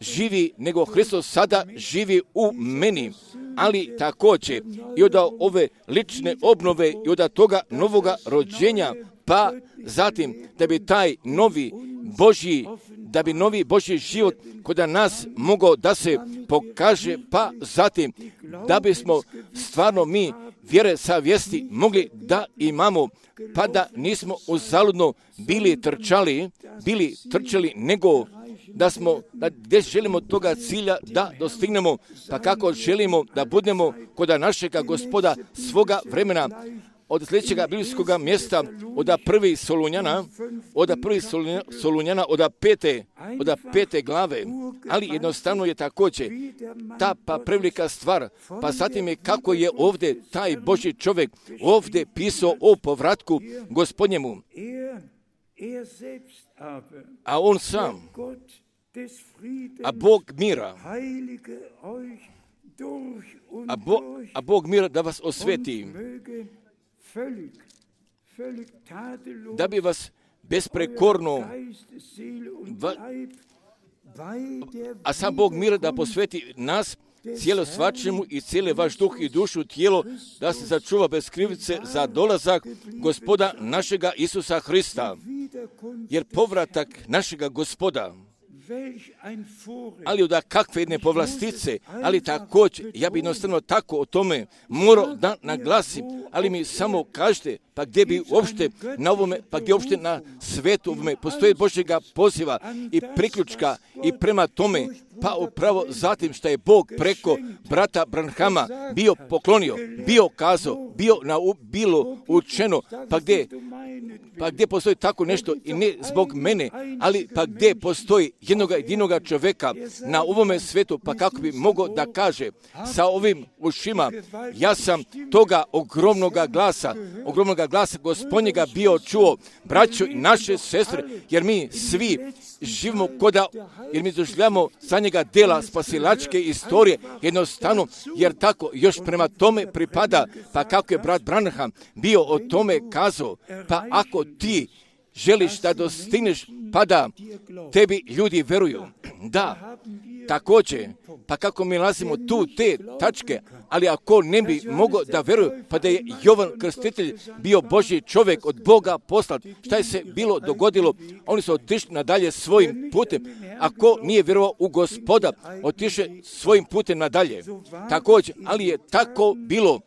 živi, nego Hristos sada živi u meni. Ali također i od ove lične obnove i od toga novoga rođenja, pa zatim da bi taj novi Božji, da bi novi Božji život kod nas mogao da se pokaže, pa zatim da bismo stvarno mi vjere savjesti mogli da imamo, pa da nismo uzaludno bili trčali, bili trčali, nego da smo, da gdje želimo toga cilja da dostignemo, pa kako želimo da budemo kod našega Gospoda svoga vremena, od sljedećega biblijskog mjesta, od prvi Solunjana, od prvi Solunjana, od pete, od pete glave, ali jednostavno je također ta pa prevelika stvar, pa zatim je kako je ovdje taj Božji čovjek ovdje pisao o povratku Gospodnjemu, a on sam, a Bog mira, a, Bo, a Bog mira da vas osveti, da bi vas besprekorno, va, a sam Bog mira da posveti nas, cijelo svačemu i cijeli vaš duh i dušu, tijelo, da se sačuva bez krivice za dolazak Gospoda našega Isusa Hrista. Jer povratak našega Gospoda, ali od kakve jedne povlastice, ali također, ja bi jednostavno tako o tome morao da naglasim, ali mi samo kažete, pa gdje bi uopšte na ovome, pa gdje uopšte na svetu ovome postoje Božjega poziva i priključka i prema tome, pa upravo zatim što je Bog preko brata Branhama bio poklonio, bio kazao, bio na, bilo učeno, pa gdje, pa gdje postoji tako nešto i ne zbog mene, ali pa gdje postoji jednoga jedinoga čovjeka na ovome svetu, pa kako bi mogao da kaže sa ovim ušima, ja sam toga ogromnoga glasa, ogromnoga glasa Gospodnjega bio čuo, braćo i naše sestre, jer mi svi živimo koda, jer mi doživljamo za njega dela spasilačke istorije, jednostavno, jer tako još prema tome pripada, pa kako je brat Branham bio o tome kazao, pa ako ti želiš da dostigneš, pa da tebi ljudi veruju. Da, također, pa kako mi nalazimo tu te tačke, ali ako ne bi mogao da veruju, pa da je Jovan Krstitelj bio Božji čovjek od Boga poslat, šta je se bilo dogodilo? Oni su otišli nadalje svojim putem. Ako nije vjerovao u Gospoda, otiše svojim putem nadalje. Također, ali je tako bilo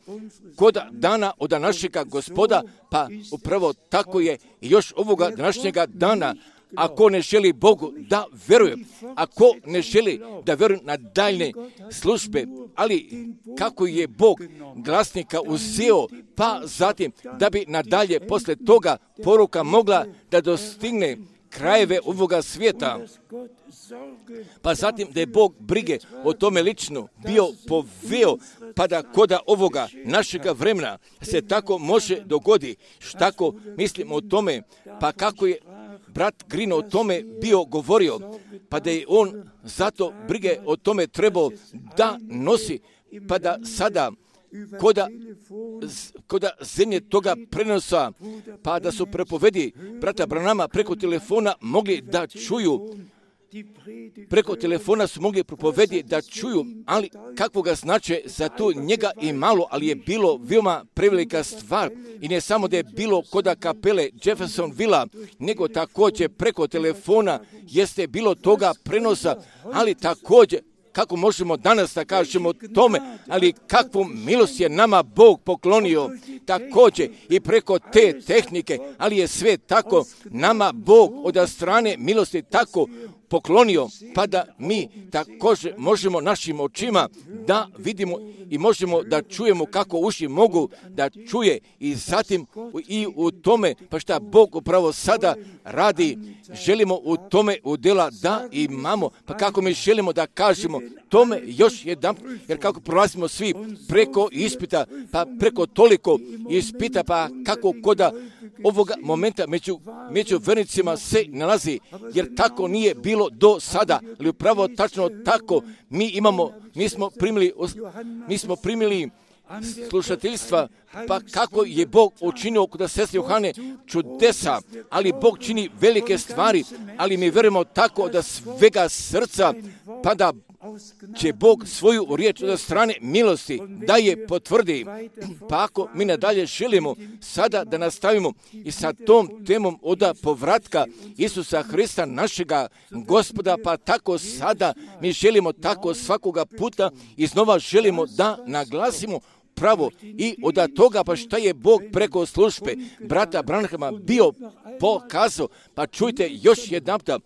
kod dana od našega Gospoda, pa upravo tako je i još ovoga današnjega dana. Ako ne želi Bogu da veruje, ako ne želi da veruje na daljne službe, ali kako je Bog glasnika uzeo, pa zatim da bi nadalje posle toga poruka mogla da dostigne krajeve ovoga svijeta, pa zatim da je Bog brige o tome lično bio poveo, pa da koda ovoga našega vremena se tako može dogodi, tako mislim o tome, pa kako je brat Grino o tome bio govorio, pa da je on zato brige o tome trebao da nosi, pa da sada koda, koda zemlje toga prenosa, pa da su prepovedi brata Branhama preko telefona mogli da čuju, preko telefona su mogli propovedi da čuju, ali kakvoga znače za to njega i malo, ali je bilo veoma prevelika stvar. I ne samo da je bilo koda kapele Jeffersonville, nego također preko telefona jeste bilo toga prenosa, ali također kako možemo danas da kažemo tome, ali kakvu milost je nama Bog poklonio, također i preko te tehnike, ali je sve tako nama Bog od strane milosti tako poklonio, pa da mi također možemo našim očima da vidimo i možemo da čujemo kako uši mogu da čuje i zatim i u tome, pa šta Bog upravo sada radi, želimo u tome udjela da imamo, pa kako mi želimo da kažemo tome još jedan, jer kako prolazimo svi preko ispita, pa preko toliko ispita, pa kako koda ovoga momenta među, među vernicima se nalazi, jer tako nije bilo do sada, ali upravo tačno tako mi imamo, mi smo primili, mi smo primili slušateljstva, pa kako je Bog učinio kod sestre Johane čudesa, ali Bog čini velike stvari, ali mi verujemo tako da svega srca, pa da će Bog svoju riječ od strane milosti da je potvrdi. Pa ako mi nadalje želimo sada da nastavimo i sa tom temom od povratka Isusa Hrista našega Gospoda, pa tako sada mi želimo tako svakoga puta iznova želimo da naglasimo pravo i od toga pa šta je Bog preko službe brata Branhama bio pokazao, pa čujte još jednapta,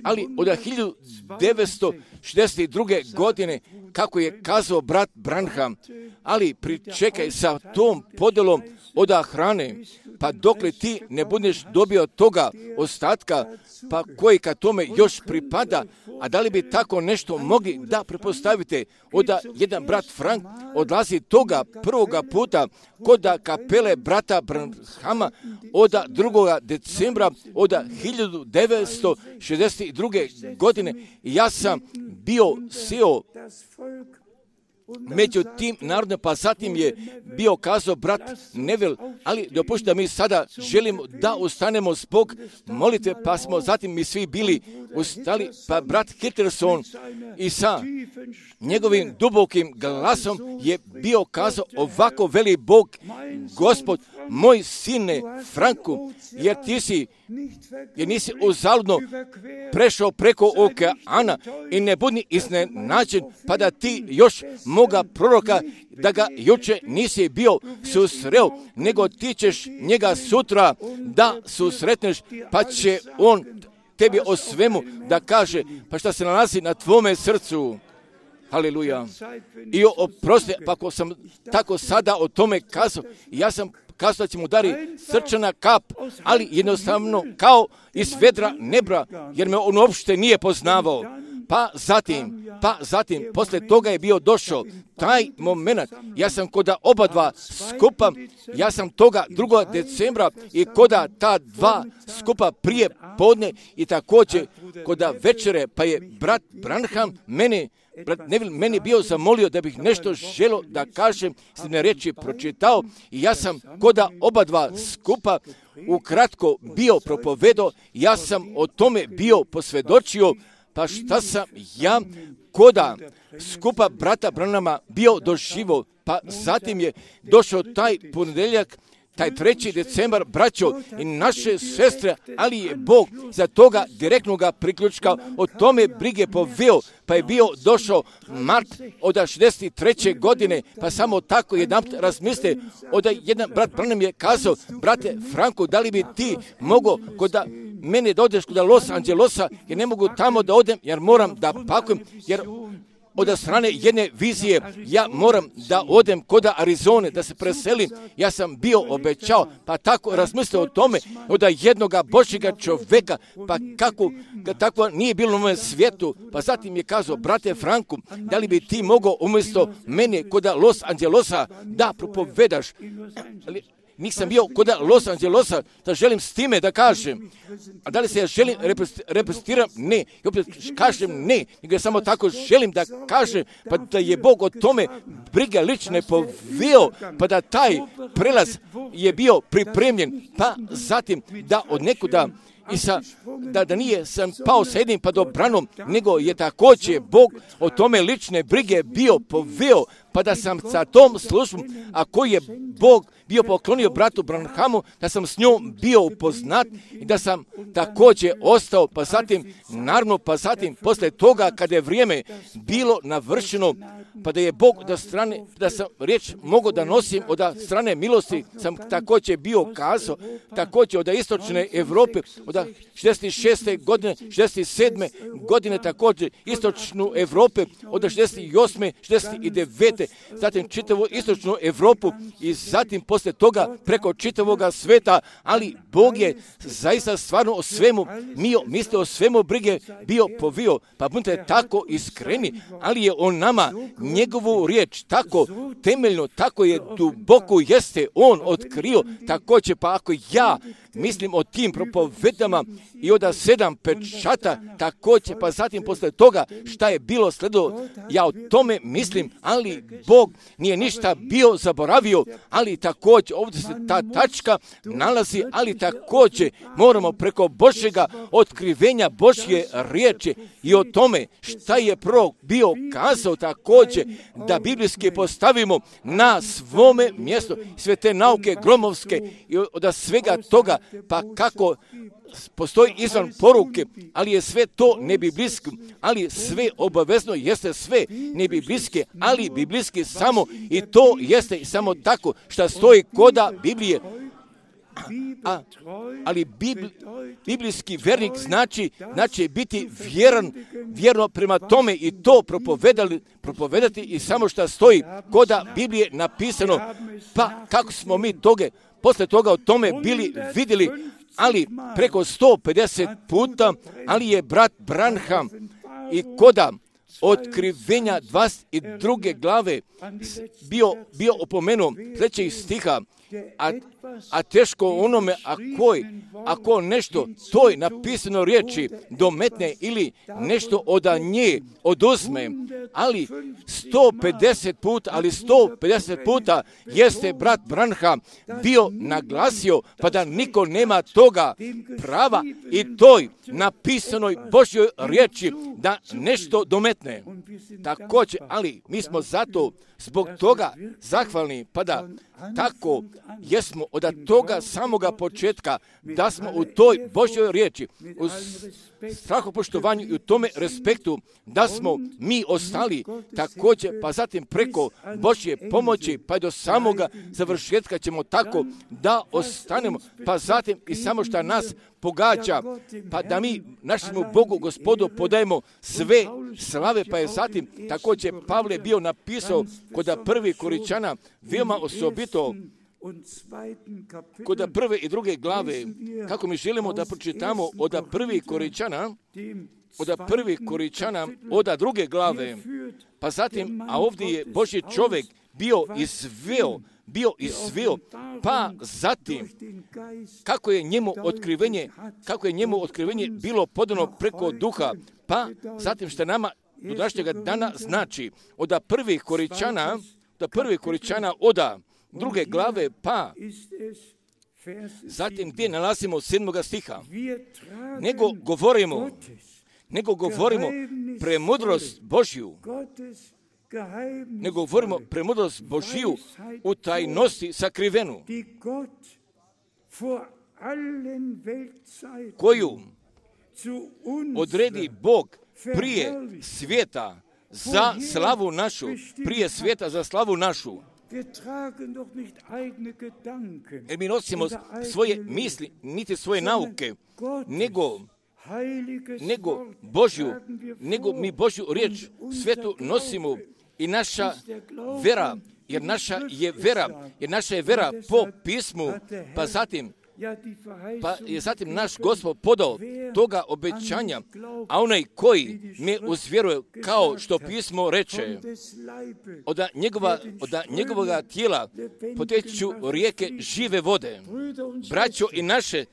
ali od hiljadu devetsto šezdeset druge. godine kako je kazao brat Branham, ali pričekaj sa tom podelom od hrane, pa dokle ti ne budeš dobio toga ostatka, pa koji ka tome još pripada, a da li bi tako nešto mogli da prepostavite, od jedan brat Frank odlazi toga prvoga puta kod kapele brata Branhama od drugoga decembra od hiljadu devetsto šezdeset druge. godine. Ja sam bio seo među tim narodom, pa zatim je bio kazao brat Neville, ali dopustite da mi sada želimo da ustanemo zbog molitve, pa smo zatim mi svi bili ustali, pa brat Hitlerson i sa njegovim dubokim glasom je bio kazao ovako veli Bog, Gospod, moj sine Franku, jer ti si, jer nisi uzaludno prešao preko okeana i ne budi iznenađen, pa da ti još moga proroka, da ga juče nisi bio susreo, nego ti ćeš njega sutra da susretneš, pa će on tebi o svemu da kaže, pa šta se nalazi na tvome srcu. Haleluja. I oprosti, pa ako sam tako sada o tome kazao, ja sam kazao da će mu dari srčana kap, ali jednostavno kao iz vedra nebra, jer me on uopšte nije poznavao. Pa zatim, pa zatim, posle toga je bio došao taj moment, ja sam koda oba dva skupa, ja sam toga drugog decembra i koda ta dva skupa prije podne i također koda večere, pa je brat Branham mene, brat Neville meni bio zamolio da bih nešto želio da kažem, sljedne reči pročitao i ja sam koda oba dva skupa ukratko bio propovedao, ja sam o tome bio posvjedočio. Pa šta sam ja koda skupa brata Branhama bio doživo, pa zatim je došao taj ponedjeljak, taj treći decembar, braćo i naše sestre, ali je Bog za toga direktnog priključka o tome brige poveo, pa je bio došao mart od šezdeset treće. godine, pa samo tako jedan razmisle, od jedan brat Branham je kazao, brate Franko, da li bi ti mogao kod mene da odeš kod Los Angelesa, jer ne mogu tamo da odem, jer moram da pakujem, jer od strane jedne vizije ja moram da odem kod Arizone, da se preselim. Ja sam bio obećao, pa tako razmislio o tome od jednoga Božjega čoveka, pa kako tako nije bilo u mojem svijetu. Pa zatim je kazao, brate Franku, da li bi ti mogao umjesto mene kod Los Angelesa da propovedaš? Ali nisam bio kod Los Angelesa da želim s time da kažem. A da li se ja želim reprezentiram? Ne. I opet kažem ne. Nego ja samo tako želim da kažem, pa da je Bog o tome briga lične poveo, pa da taj prelaz je bio pripremljen. Pa zatim da od nekuda i sa, da, da nije sam pao sa jednim padobranom, nego je također Bog o tome lične brige bio poveo, pa da sam sa tom službom, a koji je Bog bio poklonio bratu Branhamu, da sam s njom bio upoznat i da sam također ostao, pa zatim, naravno, pa zatim, posle toga, kada je vrijeme bilo navršeno, pa da je Bog da strane, da sam riječ mogao da nosim od strane milosti, sam također bio kazao, također od istočne Evrope, od šezdeset šeste godine, šezdeset sedme godine također istočnu Evrope, od šezdeset osme, šezdeset devete zatim čitavu istočnu Evropu i zatim posle toga preko čitavoga sveta, ali Bog je zaista stvarno o svemu mio, mislio o svemu brige bio povio, pa budite tako iskreni, ali je on nama njegovu riječ tako temeljno, tako je duboko jeste on otkrio, također pa ako ja mislim o tim propovedama i od sedam pečata, također pa zatim posle toga šta je bilo sledilo, ja o tome mislim, ali Bog nije ništa bio zaboravio, ali također ovdje se ta tačka nalazi, ali također moramo preko Božjega otkrivenja Božje riječi i o tome šta je prorok bio kazao također da biblijski postavimo na svome mjestu sve te nauke gromovske i od svega toga, pa kako postoji izvan poruke, ali je sve to nebiblijski, ali sve obavezno jeste sve nebiblijski, ali biblijski samo i to jeste samo tako što stoji koda Biblije. A, ali bibli, biblijski vernik znači, znači biti vjeran, vjerno prema tome i to propovedali, propovedati i samo što stoji koda Biblije napisano, pa kako smo mi toga, posle toga o tome bili vidjeli, ali preko sto pedeset puta, ali je brat Branham i koda otkrivenja dvadeset druge glave bio, bio opomenuo sljedećih stiha, a, a teško onome ako, ako nešto toj napisano riječi dometne ili nešto od nje oduzme, ali sto pedeset puta, ali sto pedeset puta jeste brat Branham bio naglasio, pa da niko nema toga prava i toj napisanoj Božjoj riječi da nešto dometne. Također, ali mi smo zato zbog toga zahvalni, pa da tako jesmo od toga samoga početka, da smo u toj Božjoj riječi, u strahopoštovanju i u tome respektu, da smo mi ostali također, pa zatim preko Božje pomoći, pa do samoga završetka ćemo tako da ostanemo, pa zatim i samo što nas pogađa, pa da mi našemu Bogu Gospodu podajemo sve slave, pa je zatim također Pavle bio napisao kod prvi Koričana veoma osobito, kod prve i druge glave, kako mi želimo da pročitamo od prvi Koričana, od prvi Koričana, od druge glave, pa zatim, a ovdje je Božji čovjek bio izveo, bio izveo, pa zatim, kako je njemu otkrivenje, kako je njemu otkrivenje bilo podano preko duha, pa zatim što nama do današnjega dana znači, od prvih Koričana, od prvih Koričana, od druge glave, pa zatim gdje nalazimo sedmoga stiha, nego govorimo, nego govorimo premudrost Božju, nego govorimo premudrost Božju u tajnosti sakrivenu, koju odredi Bog prije svijeta za slavu našu, prije svijeta za slavu našu. Jer mi nosimo svoje misli, niti svoje nauke, nego, nego Božju, nego mi Božju riječ svetu nosimo i naša vera, jer naša je vera, jer naša je vera po pismu, pa zatim Pa je zatim naš Gospod podao toga obećanja, a onaj koji me uzvjeruje, kao što pismo reče, od njegova, od njegovoga tijela poteću rijeke žive vode. Braćo i naše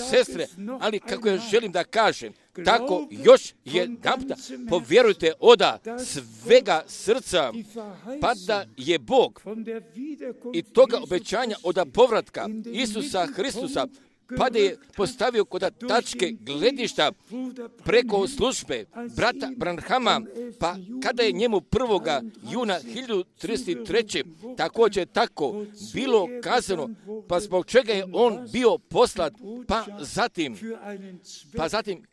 sestre, ali kako ja želim da kažem, tako još jedanputa povjerujte oda svega srca, pa da je Bog i toga obećanja oda povratka Isusa Hristusa pa da je postavio kod tačke gledišta preko službe brata Branhama, pa kada je njemu prvoga juna hiljadu tristo treće također tako bilo kazano, pa zbog čega je on bio poslat, pa zatim, pa zatim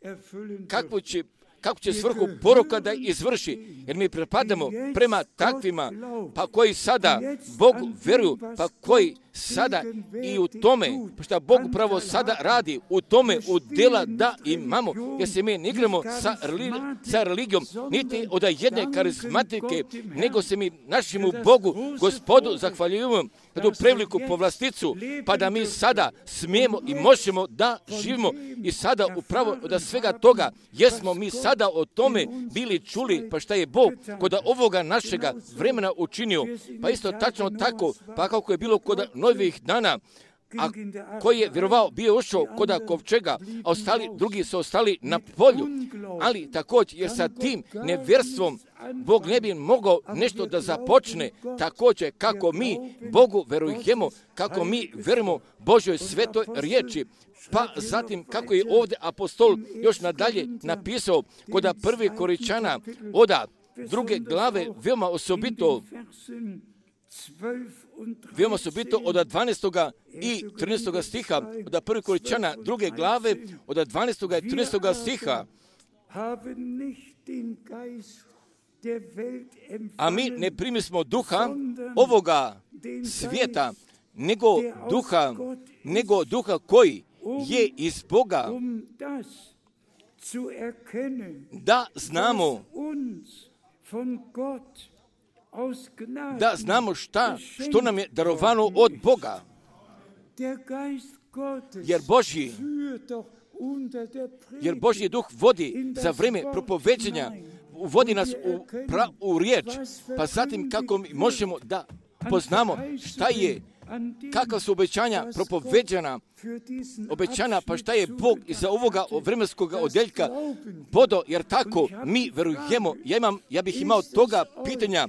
kakvu će kako će svrhu poroka da izvrši, jer mi pripadamo prema takvima, pa koji sada Bogu veruju, pa koji sada i u tome, što Bog pravo sada radi, u tome u djela da imamo, jer se mi ne igramo sa, sa religijom, niti od jedne karizmatike, nego se mi našemu Bogu, Gospodu, zahvaljujemo na tu preveliku povlasticu, pa da mi sada smijemo i možemo da živimo i sada upravo od svega toga, jesmo mi sada o tome bili čuli, pa šta je Bog kod ovoga našega vremena učinio, pa isto tačno tako, pa kako je bilo kod novih dana, a koji je vjerovao bio ušao kod kovčega, a ostali, drugi su ostali na polju. Ali također, jer sa tim nevjerstvom Bog ne bi mogao nešto da započne, također kako mi Bogu verujemo, kako mi verujemo Božoj svetoj riječi. Pa zatim, kako je ovdje apostol još nadalje napisao kod prvi Koričana oda druge glave, veoma osobito, veoma osobito od dvanaestoga i trinaestoga stiha, od prvi Koričana druge glave, od dvanaestoga i trinaestoga stiha. A mi ne primismo duha ovoga svijeta, nego duha, nego duha koji je iz Boga, da znamo, da znamo šta, što nam je darovano od Boga. Jer Božji, jer Božji duh vodi za vrijeme propoveđenja, vodi nas u, pra, u riječ, pa zatim kako mi možemo da poznamo šta je, kakva su obećanja propoveđena, obećana, pa šta je Bog iza ovoga vremenskog odjeljka bodo, jer tako mi verujemo. Ja, imam, ja bih imao toga pitanja,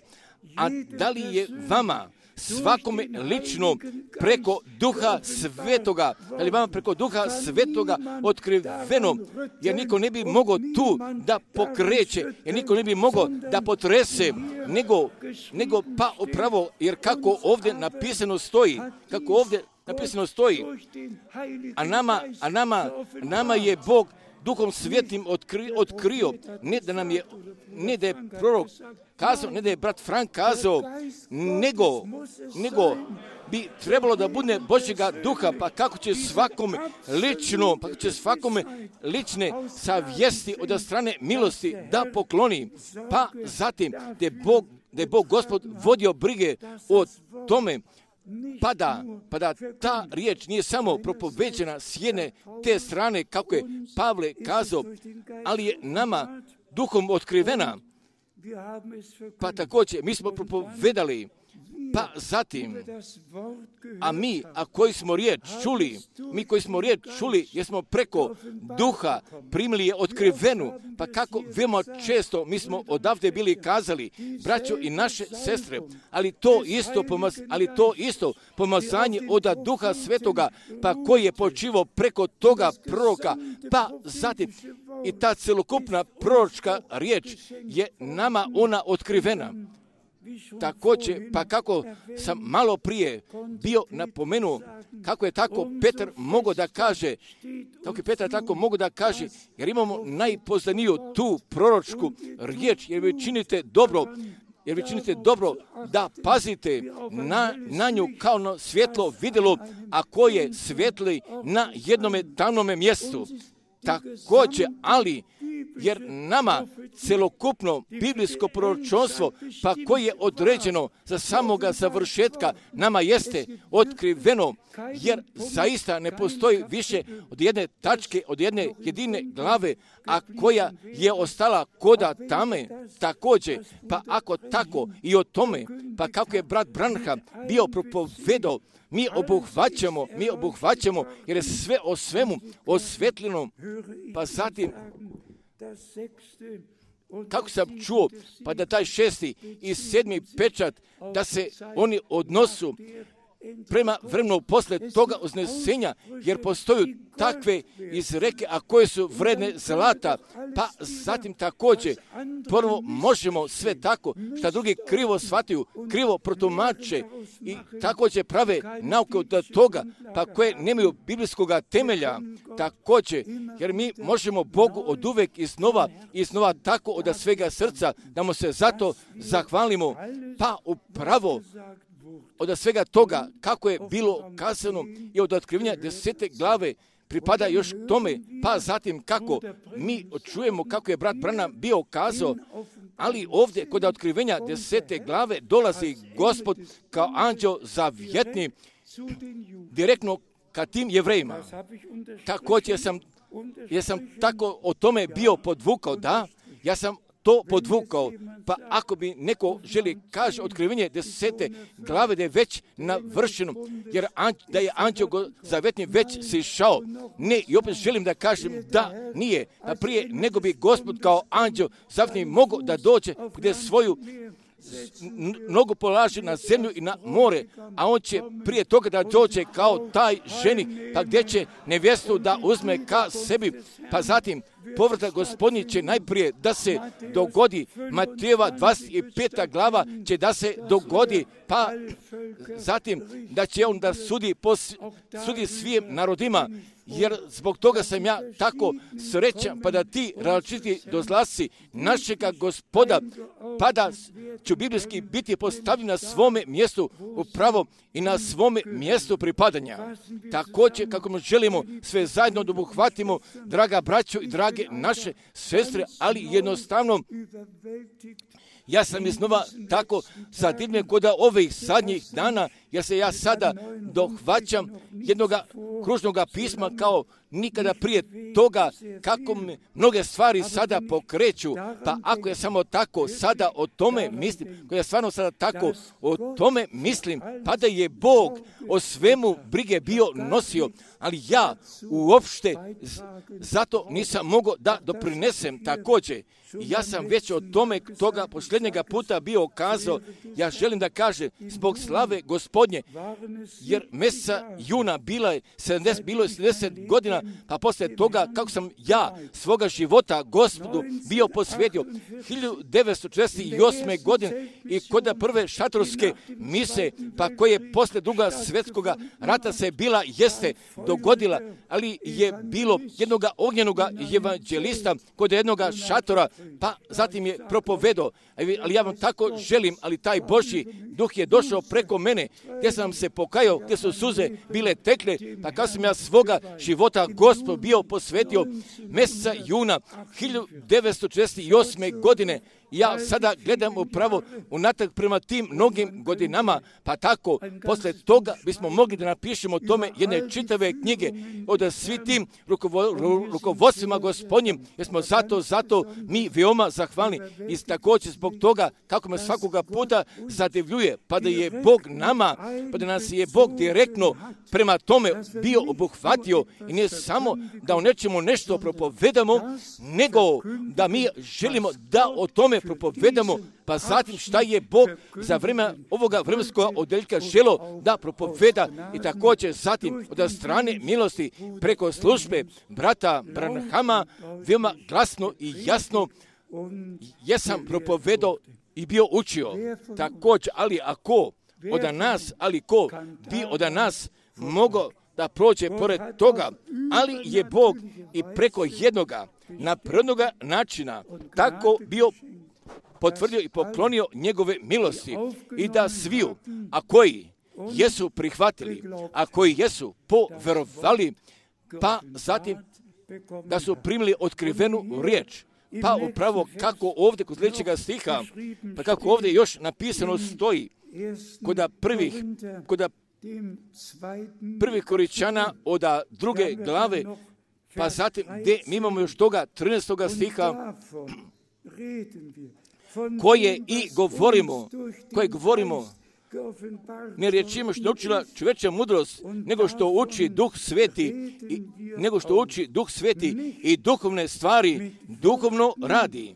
a da li je vama svakome lično preko Duha Svetoga, da li vama preko Duha Svetoga otkriveno, jer niko ne bi mogao tu da pokreće, jer niko ne bi mogao da potrese, nego, nego pa upravo, jer kako ovdje napisano stoji, kako ovdje napisano stoji, a nama, a nama, nama je Bog Duhom Svetim otkri, otkrio, ne da nam je, ne da je prorok kazao, ne da je brat Frank kazao, nego, nego bi trebalo da bude Božjega duha, pa kako će svakome lično, pa kako će svakome lične savjesti od strane milosti da pokloni, pa zatim da je Bog, da je Bog Gospod vodio brige o tome, Pa da, pa da ta riječ nije samo propoveđena s jedne te strane, kako je Pavle kazao, ali je nama duhom otkrivena. Pa također, mi smo propovedali, pa zatim, a mi, a koji smo riječ čuli, mi koji smo riječ čuli, jer smo preko duha primili je otkrivenu, pa kako veoma često mi smo odavde bili kazali, braćo i naše sestre, ali to isto, pomaz, ali to isto pomazanje od Duha Svetoga, pa koji je počivao preko toga proroka, pa zatim i ta celokupna proročka riječ je nama ona otkrivena. Također, pa kako sam malo prije bio napomenuo, kako je tako Petar mogao da kaže, kako je Petar tako mogao da kaže, jer imamo najpoznaniju tu proročku riječ, jer vi činite dobro, jer vi činite dobro da pazite na, na nju kao na svjetlo vidjelo, a koje svijetli na jednome tamnome mjestu. Također, ali, jer nama celokupno biblijsko proročanstvo, pa koje je određeno za samoga završetka, nama jeste otkriveno, jer zaista ne postoji više od jedne tačke, od jedne jedine glave, a koja je ostala koda tame. Također, pa ako tako i o tome, pa kako je brat Branham bio propovedao, mi obuhvaćamo, mi obuhvaćamo, jer je sve o svemu osvetljeno, pa zatim, kako sam čuo, pa da taj šesti i sedmi pečat, da se oni odnosu prema vremenu posle toga uznesenja, jer postoju takve izreke, a koje su vredne zlata, pa zatim također prvo možemo sve tako, što drugi krivo shvataju, krivo protumače i također prave nauke od toga, pa koje nemaju biblijskog temelja, također, jer mi možemo Bogu od uvek iznova i iznova tako od svega srca, da mu se zato zahvalimo, pa upravo od svega toga kako je bilo kazano i od otkrivenja desete glave pripada još tome, pa zatim kako mi čujemo kako je brat Branham bio kazao, ali ovdje kod otkrivenja desete glave dolazi Gospod kao anđeo zavjetni direktno ka tim Jevrejima. Također sam, ja sam tako o tome bio podvukao, da, ja sam to podvukao, pa ako bi neko želi kaže otkrivenje desete glave da je već navršeno, jer anđ, da je anđeo zavjetni već sišao, ne, i opet želim da kažem da nije, da prije nego bi Gospod kao anđeo zavjetni mogao da dođe gdje svoju nogu polaže na zemlju i na more, a on će prije toga da dođe kao taj ženik, pa gdje će nevjestu da uzme ka sebi, pa zatim povratak Gospodnji će najprije da se dogodi, Matejeva dvadeset peta glava će da se dogodi, pa zatim da će on da sudi, pos, sudi svim narodima, jer zbog toga sam ja tako srećan, pa da ti različiti dozlasci našega Gospoda, pa da ću biblijski biti postavljen na svome mjestu upravo i na svome mjestu pripadanja. Također, kako mi želimo sve zajedno da obuhvatimo, draga braćo i drage naše sestre, ali jednostavno ja sam iznova tako zadivljen kod ovih zadnjih dana, jer se ja sada dohvaćam jednog kružnog pisma kao nikada prije toga, kako me mnoge stvari sada pokreću, pa ako ja samo tako sada o tome mislim, ako ja stvarno sada tako o tome mislim, pa da je Bog o svemu brige bio nosio, ali ja uopšte zato nisam mogao da doprinesem također. Ja sam već o tome toga posljednjega puta bio kazao, ja želim da kažem, zbog slave Gospodnje, jer mjeseca juna bila je sedamdeset, bilo je sedamdeset godina, pa poslije toga kako sam ja svoga života Gospodu bio posvetio hiljadu devetsto četrdeset osme. godine i kod prve šatorske mise, pa koje poslije druga svjetskoga rata se bila jeste dogodila, ali je bilo jednoga ognjenoga evanđelista kod jednoga šatora, pa zatim je propovedao, ali ja vam tako želim, ali taj Božji duh je došao preko mene, gdje sam se pokajao, gdje su suze bile tekle, pa kad sam ja svoga života Gospod bio posvetio mjeseca juna hiljadu devetsto četrdeset osme. godine, ja sada gledam upravo unatrag prema tim mnogim godinama, pa tako, posle toga bismo mogli da napišemo tome jedne čitave knjige od svi tim rukovo, rukovodstvima Gospodnjim, jer smo zato, zato mi veoma zahvalni i također zbog toga kako me svakoga puta zadivljuje, pa da je Bog nama, pa da nas je Bog direktno prema tome bio obuhvatio i ne samo da o nečemu nešto propovedamo, nego da mi želimo da o tome propovedamo, pa zatim šta je Bog za vreme ovoga vremenskog odeljka želo da propoveda i također zatim od strane milosti preko službe brata Branhama veoma glasno i jasno jesam propovedao i bio učio. Također, ali ako od nas, ali ko bi od nas mogao da prođe pored toga, ali je Bog i preko jednoga naprednoga načina tako bio potvrdio i poklonio njegove milosti i da sviju, a koji jesu prihvatili, a koji jesu poverovali, pa zatim da su primili otkrivenu riječ. Pa upravo kako ovdje kod sljedećega stiha, pa kako ovdje još napisano stoji, kod prvih, kod prvih Koričana od druge glave, pa zatim gdje mi imamo još toga trinaestoga stiha, koje i govorimo, koje govorimo, ne riječima što učila čovječa mudrost, nego što uči Duh Sveti, i, nego što uči Duh Sveti i duhovne stvari duhovno radi.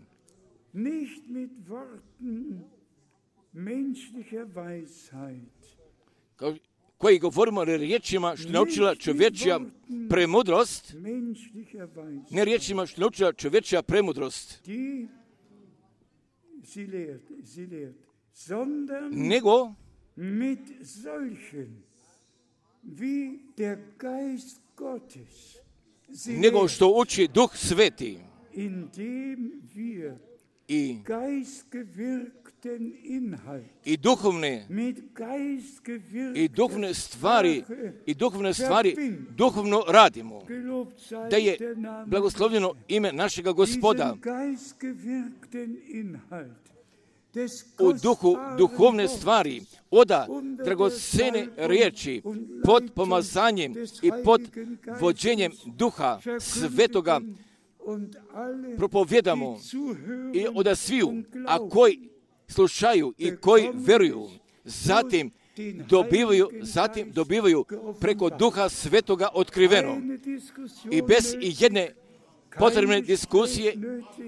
Kao, koji govorimo riječima što je naučila čovječja premudrost, ne riječima što je naučila čovječja premudrost, nego nego što uči Duh Sveti i, i duhovne i duhovne stvari i duhovne stvari duhovno radimo, da je blagoslovljeno ime našega Gospoda. U duhu duhovne stvari, oda dragocene riječi pod pomazanjem i pod vođenjem Duha Svetoga propovjedamo i oda sviju, a koji slušaju i koji veruju, zatim dobivaju, zatim dobivaju preko Duha Svetoga otkriveno i bez i jedne potrebne diskusije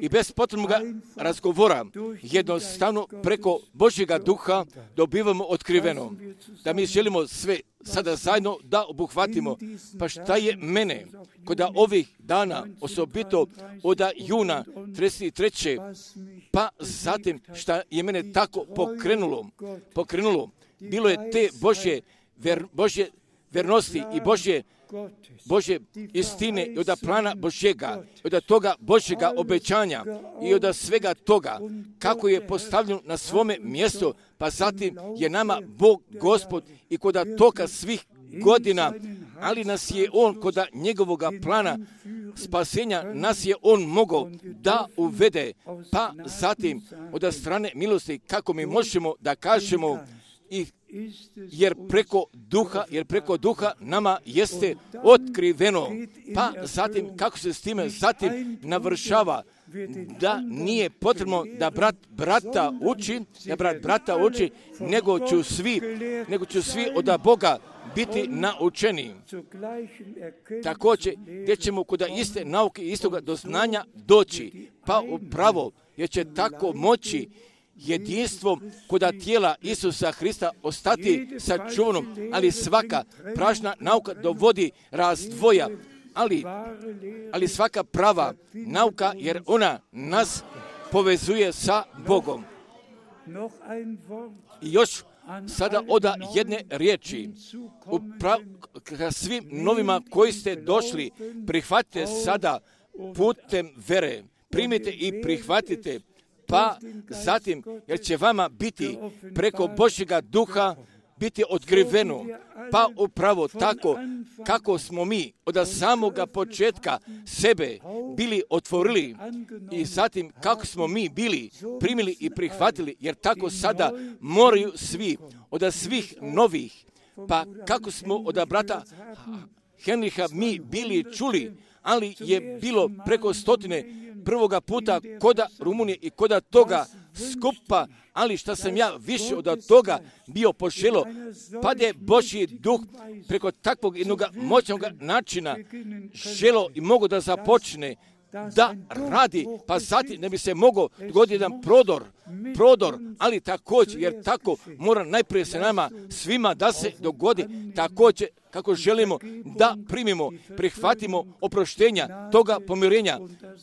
i bez potrebnog razgovora, jednostavno preko Božjega Duha dobivamo otkriveno. Da mi želimo sve sada zajedno da obuhvatimo. Pa šta je mene kod ovih dana, osobito od juna trideset treće pa zatim šta je mene tako pokrenulo, pokrenulo, bilo je te Božje, ver, Božje vernosti i Božje Božje istine i od plana Božjega, od toga Božjega obećanja i od svega toga kako je postavljeno na svome mjestu, pa zatim je nama Bog Gospod i kod toga svih godina, ali nas je On kod njegovog plana spasenja, nas je On mogao da uvede, pa zatim od strane milosti kako mi možemo da kažemo i jer preko duha, jer preko duha nama jeste otkriveno, pa zatim kako se s time zatim navršava, da nije potrebno da brat brata uči, da brat brata uči, nego ću svi, nego ću svi od Boga biti naučeni. Također, gdje ćemo kod iste nauke i istoga doznanja doći, pa upravo, jer će tako moći jedinstvom kod tijela Isusa Hrista ostati sačuvanom, ali svaka prašna nauka dovodi razdvoja, ali, ali svaka prava nauka, jer ona nas povezuje sa Bogom. I još sada oda jedne riječi, Upra- ka svim novima koji ste došli, prihvatite sada putem vere, primite i prihvatite, pa zatim, jer će vama biti preko Božjega Duha biti otkriveno, pa upravo tako kako smo mi od samoga početka sebe bili otvorili i zatim kako smo mi bili primili i prihvatili, jer tako sada moraju svi od svih novih, pa kako smo od brata Henriha mi bili čuli, ali je bilo preko stotine prvoga puta koda Rumunije i koda toga skupa, ali šta sam ja više od toga bio poželo, pa je Božji Duh preko takvog jednog moćnog načina želo i mogo da započne da radi, pa zatim ne bi se mogao dogoditi jedan prodor, prodor, ali također, jer tako mora najprije se nama svima da se dogodi, također kako želimo da primimo, prihvatimo oproštenja toga pomirenja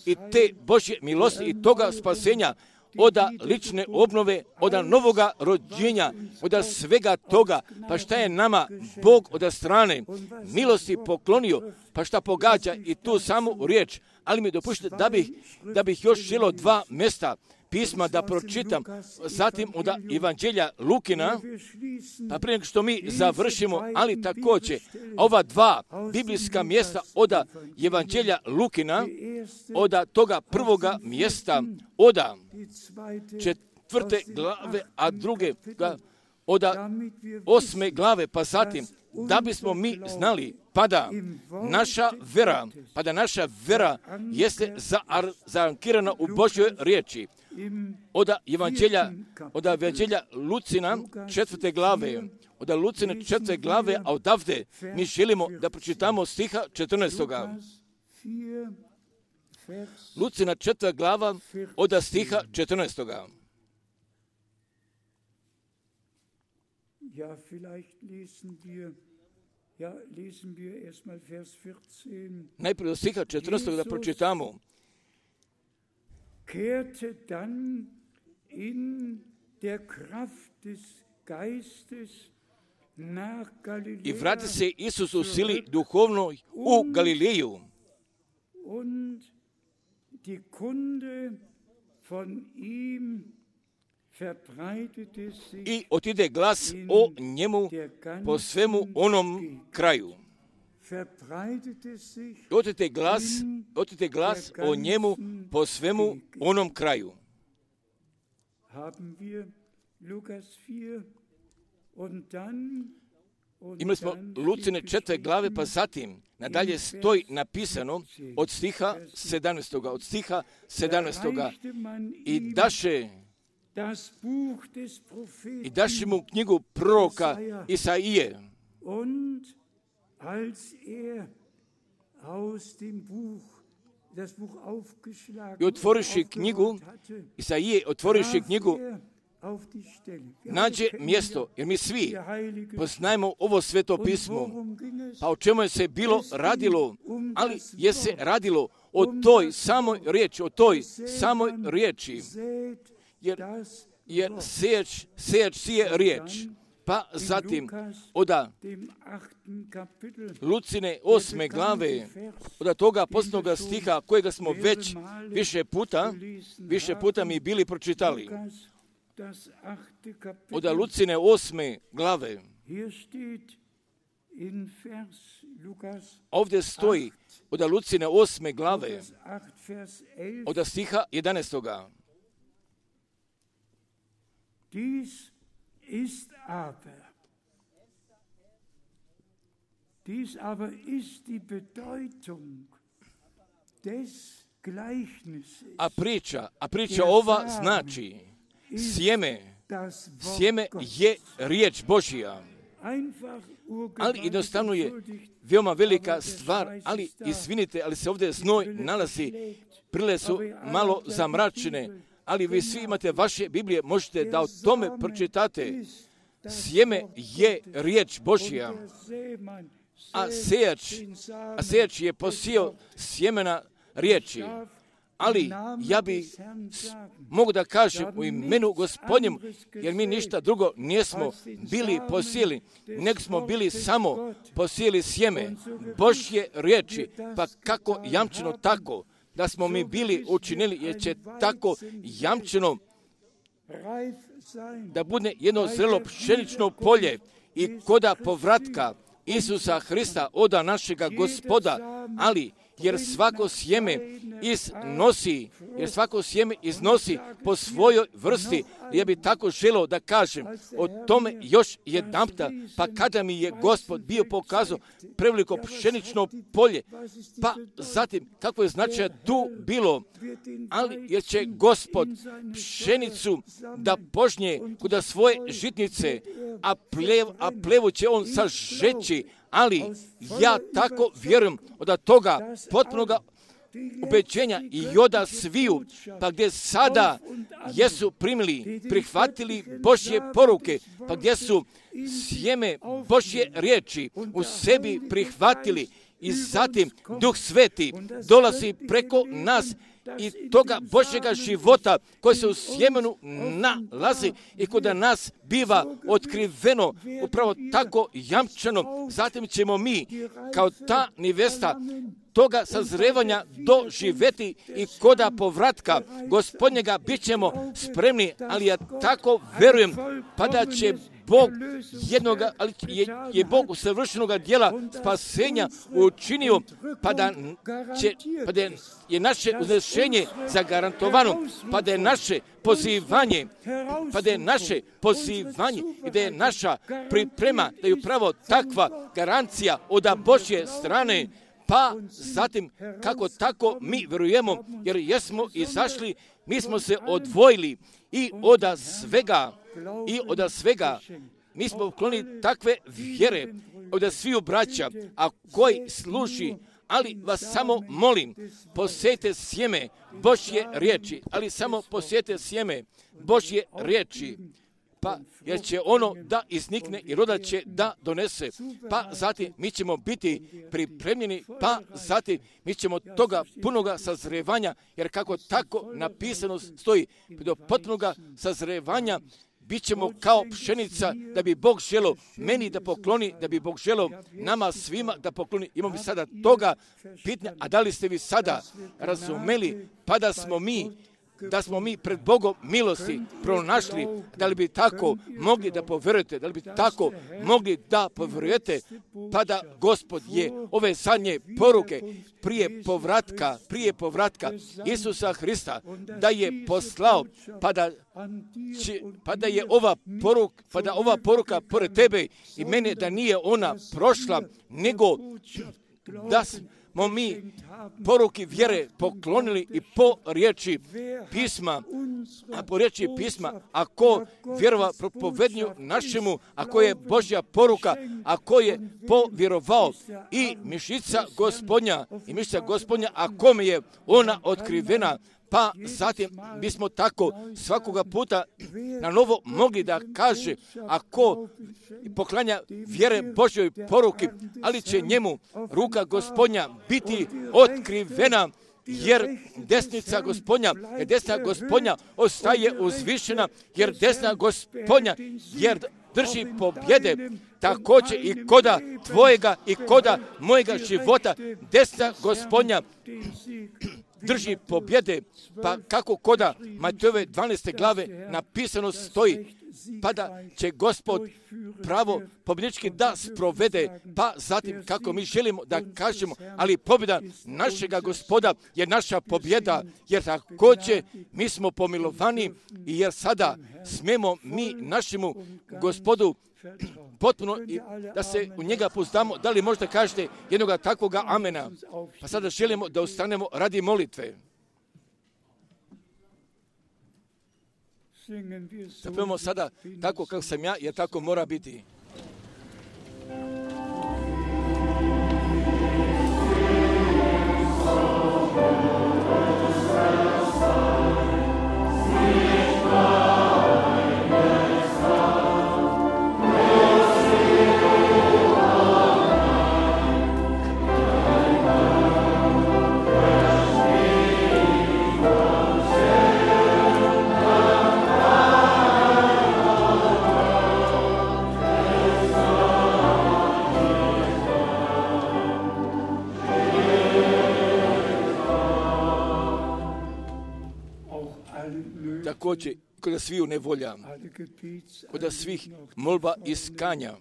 i te Božje milosti i toga spasenja, od lične obnove, od novoga rođenja, od svega toga, pa šta je nama Bog od strane milosti poklonio, pa šta pogađa i tu samu riječ, ali mi dopušte da bih, da bih još želio dva mjesta pisma da pročitam, zatim od Evanđelja Lukina, pa prije nego što mi završimo, ali također ova dva biblijska mjesta od Evanđelja Lukina, od toga prvoga mjesta, od četvrte glave, a druge od osme glave, pa zatim da bismo mi znali, pa da naša vera, pa da naša vera jeste zaankirana u Božjoj riječi. Od Evanđelja, od Evanđelja Lucina četvrte glave, od Lucina četvrte glave, a odavde mi želimo da pročitamo stiha četrnaestoga. Lucina četvrta glava od stiha četrnaestoga. Ja, vielleicht lesen wir, ja, lesen wir erstmal Vers vierzehn. Najprije do stiha četrnaestog da pročitamo. Kehrte dann in der Kraft des Geistes nach Galilea. I vrati se Isus u sili duhovnoj u Galileju. Und die Kunde von ihm verbreitete sich. I otide glas o njemu po svemu onom kraju. Verbreitete sich. Otide glas, otide glas o njemu po svemu onom kraju. Haben wir Lukas vier und dann Imali smo Lucine četvrte glave, pa zatim nadalje stoji napisano od stiha sedamnaestog od stiha sedamnaestog i daše i daše mu knjigu proroka Isaije. Und als er aus dem Buch das Buch aufgeschlagen I otvoriši knjigu Isaije, otvoriši knjigu, nađe mjesto, jer mi svi poznajemo ovo sveto pismo. Pa o čemu je se bilo radilo, ali je se radilo o toj samoj riječi, o toj samoj riječi, jer, jer sejač, sejač sije riječ. Pa zatim, oda Lucine osme glave, od toga posljednog stiha kojega smo već više puta, više puta mi bili pročitali. Od Lucine osme glave. Ovdje stoji od Lucine osme glave, od stiha jedanaestog. Dies ist aber, dies aber ist die Bedeutung des Gleichnisses. A priča, a priča ova znači sjeme, sjeme je riječ Božja. Ali jednostavno je veoma velika stvar, ali izvinite, ali se ovdje znoj nalazi, prile su malo zamračene, ali vi svi imate vaše Biblije, možete da o tome pročitate. Sjeme je riječ Božja, a sejač, a sejač je posijao sjemena riječi. Ali ja bi mogu da kažem u imenu Gospodnjem, jer mi ništa drugo nismo bili posijeli, nego smo bili samo posijeli sjeme Božje riječi. Pa kako jamčeno tako da smo mi bili učinili, jer će tako jamčeno da bude jedno zrelo pšenično polje i koda povratka Isusa Hrista, oda našega Gospoda, ali jer svako sjeme iznosi, jer svako sjeme iznosi po svojoj vrsti. Ja bih tako želio da kažem o tome još jedanputa, pa kada mi je Gospod bio pokazao preveliko pšenično polje, pa zatim kako je značaj tu bilo, ali jer će Gospod pšenicu da požnje kuda svoje žitnice, a, plev, a plevu će on sažeći, ali ja tako vjerujem od toga potpunoga ubeđenja i oda sviju, pa gdje sada jesu primili, prihvatili Božje poruke, pa gdje su sjeme Božje riječi u sebi prihvatili i zatim Duh Sveti dolazi preko nas i toga Božjega života koji se u sjemenu nalazi i kod nas biva otkriveno, upravo tako jamčeno. Zatim ćemo mi kao ta nevesta toga sazrevanja doživjeti i koda povratka Gospodnjega bit ćemo spremni, ali ja tako verujem, pa da će Bog jednoga, ali je, je Bog usavršenoga djela spasenja učinio, pa da, će, pa da je naše uznešenje zagarantovano, pa da je naše pozivanje, pa da je naše pozivanje i da je naša priprema, da je upravo takva garancija od Božje strane. Pa zatim, kako tako mi verujemo, jer jesmo izašli, mi smo se odvojili i od svega, i od svega, mi smo uklonili takve vjere od sviju braća, a koji služi, ali vas samo molim, posijete sjeme Božje riječi, ali samo posijete sjeme Božje riječi. pa jer će ono da iznikne i roda će da donese, pa zatim mi ćemo biti pripremljeni, pa zatim mi ćemo toga punoga sazrevanja, jer kako tako napisano stoji, do potpunoga sazrevanja bit ćemo kao pšenica, da bi Bog želio meni da pokloni, da bi Bog želio nama svima da pokloni. Imamo sada toga pitanja, a da li ste vi sada razumeli, pa da smo mi, da smo mi pred Bogom milosti pronašli, da li bi tako mogli da povjerujete, da li bi tako mogli da povjerujete, pa da Gospod je ove zadnje poruke prije povratka, prije povratka Isusa Hrista, da je poslao, pa da, će, pa da je ova poruka, pa da ova poruka pored tebe i mene, da nije ona prošla, nego da smo mi poruki vjere poklonili i po riječi pisma, a po riječi pisma, ako vjerova propovednju našemu, ako je Božja poruka, ako je povjerovao i mišica Gospodnja, i mišica Gospodnja, ako mi je ona otkrivena, pa zatim bismo tako svakoga puta na novo mogli da kaže, ako poklanja vjere Božjoj poruki, ali će njemu ruka Gospodnja biti otkrivena, jer desnica Gospodnja, jer desna Gospodnja ostaje uzvišena, jer desna Gospodnja, jer drži pobjede, također i koda tvojega i koda mojega života, desna Gospodnja drži pobjede, pa kako koda Matejove dvanaeste glave napisano stoji, pa da će Gospod pravo pobjednički da sprovede, pa zatim kako mi želimo da kažemo, ali pobjeda našega Gospoda je naša pobjeda, jer također mi smo pomilovani i jer sada smemo mi našemu Gospodu potpuno i da se u njega pouzdamo. Da li možda kažete jednoga takvoga amena? Pa sada želimo da ustanemo radi molitve. Zapevamo sada tako kako sam ja, jer tako mora biti. Također, kod sviju nevolja, kod svih molba i skanja,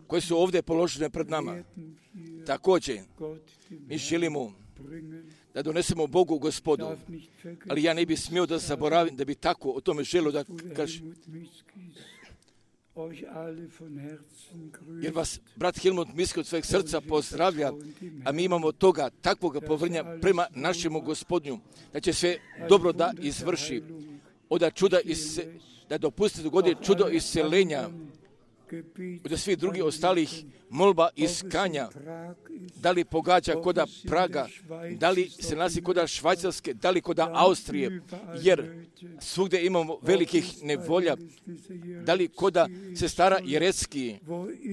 koje su ovdje položene pred nama, također, mi želimo da donesemo Bogu Gospodu, ali ja ne bi smio da zaboravim, da bi tako o tome želio da kažem. Jer vas brat Helmut Miske od svojeg srca pozdravlja, a mi imamo toga takvoga povrnja prema našemu Gospodnju, da će sve dobro da izvrši, od čuda ise, da dopusti dogodi čudo iscelenja, od svih drugih ostalih molba i skanja, da li pogađa koda Praga, da li se nalazi koda Švajcarske, da li koda Austrije, jer svugdje imamo velikih nevolja, da li koda sestara Jerecki,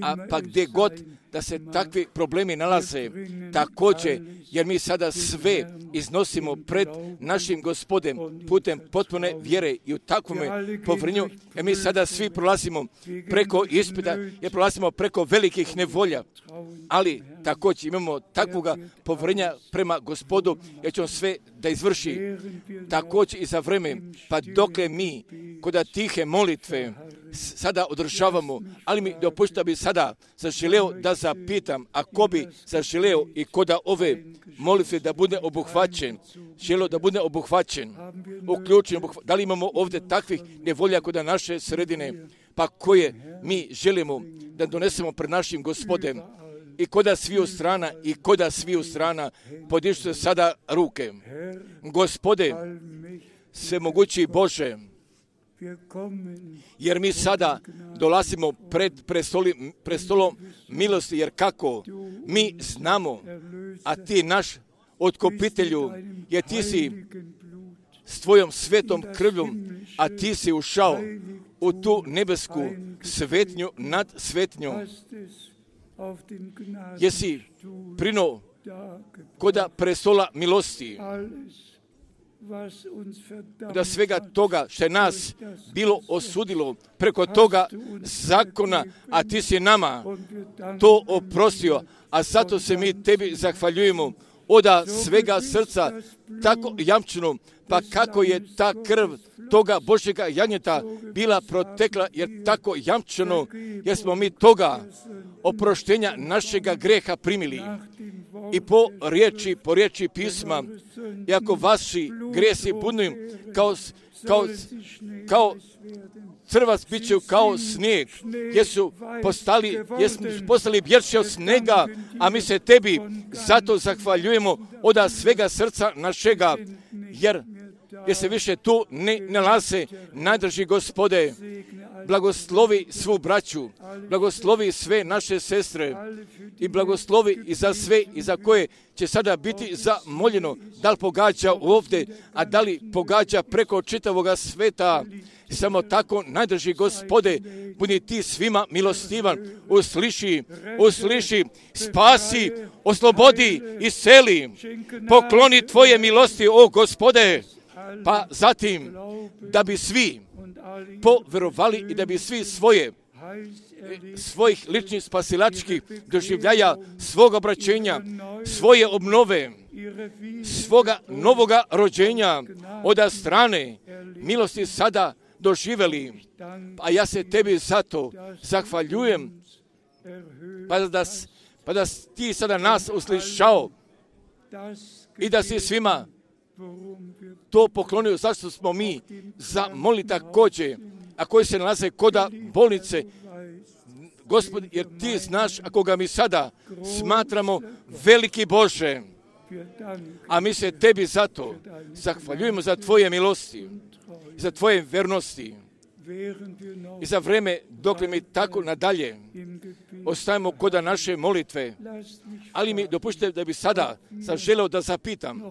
a pa gdje god da se takvi problemi nalaze, također, jer mi sada sve iznosimo pred našim Gospodem putem potpune vjere i u takvome povrnju, jer mi sada svi prolazimo preko ispita, jer prolazimo preko velikih nevolja, ali također imamo takvoga povrnja prema Gospodu, jer će on sve da izvrši, također i za vreme, pa dokle mi koda tihe molitve sada održavamo, ali mi dopušta bi sada zaželeo da zapitam, ako bi zaželeo i koda ove molitve da bude obuhvaćen, želeo da bude obuhvaćen, uključen, obuhvaćen. Da li imamo ovdje takvih nevolja koda naše sredine, pa koje mi želimo da donesemo pred našim Gospodem, i koda sviju strana, i koda sviju strana, podižu se sada ruke. Gospode, svemogući Bože, jer mi sada dolazimo pred prestoli, prestolom milosti, jer kako mi znamo, a ti naš otkupitelju, jer ti si s tvojom svetom krvljom, a ti si ušao u tu nebesku svetnju nad svetnjom. Jesi prinuo koda prestola milosti, da svega toga što je nas bilo osudilo preko toga zakona, a ti si nama to oprostio, a zato se mi tebi zahvaljujemo oda svega srca, tako jamčeno, pa kako je ta krv toga Božjega jagnjeta bila protekla, jer tako jamčeno, jer smo mi toga oproštenja našega greha primili. I po riječi, po riječi pisma, iako vaši gresi budu kao, kao, kao crvac bit će kao snijeg, jesu postali, jesu postali bjelši od snega, a mi se tebi zato zahvaljujemo oda svega srca našega, jer jer se više tu ne nalaze. Najdrži Gospode, blagoslovi svu braću, blagoslovi sve naše sestre i blagoslovi i za sve i za koje će sada biti zamoljeno, da li pogađa ovdje, a da li pogađa preko čitavoga sveta. Samo tako, najdrži Gospode, budi ti svima milostivan, usliši, usliši, spasi, oslobodi, iseli, pokloni tvoje milosti, o Gospode. Pa zatim, da bi svi poverovali i da bi svi svoje, svojih ličnih spasilačkih doživljaja, svog obraćenja, svoje obnove, svoga novoga rođenja od strane milosti sada doživjeli. A ja se tebi zato zahvaljujem, pa da, pa da ti sada nas uslišao i da si svima to poklonio, zašto smo mi zamolili također, a koji se nalaze koda bolnice, Gospod, jer ti znaš, ako ga mi sada smatramo veliki Bože, a mi se tebi zato zahvaljujemo za tvoje milosti, za tvoje vernosti i za vreme dok mi tako nadalje ostajemo koda naše molitve. Ali mi dopušte da bi sada sam želeo da zapitam,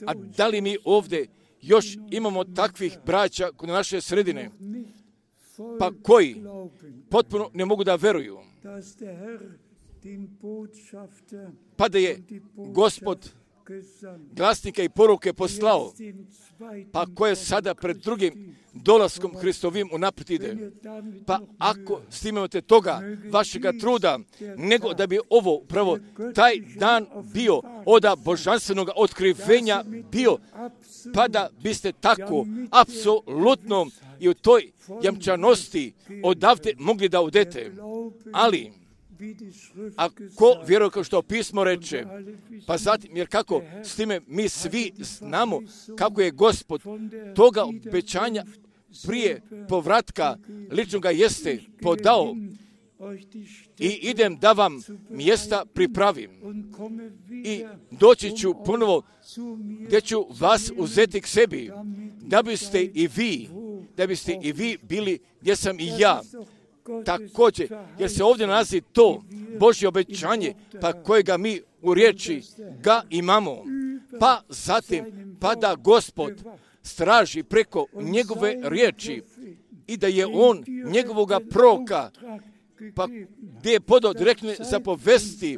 a da li mi ovdje još imamo takvih braća kod naše sredine, pa koji potpuno ne mogu da veruju, pa da je Gospod glasnike i poruke poslao, pa koje sada pred drugim dolaskom Hristovim unaprijed ide. Pa ako snimate toga vašega truda, nego da bi ovo upravo taj dan bio oda božanstvenog otkrivenja bio, pa da biste tako apsolutno i u toj jamčanosti odavde mogli da odete. Ali ako vjeruje kao što pismo reče, pa zatim, jer kako s time mi svi znamo kako je Gospod toga obećanja prije povratka ličnoga jeste podao i idem da vam mjesta pripravim i doći ću ponovo gdje ću vas uzeti k sebi, da biste i vi, da biste i vi bili gdje sam i ja. Također, jer se ovdje nalazi to Božje obećanje, pa kojega mi u riječi ga imamo. Pa zatim, pa da Gospod straži preko njegove riječi i da je on njegovoga proroka, pa gdje je podao direktne zapovesti,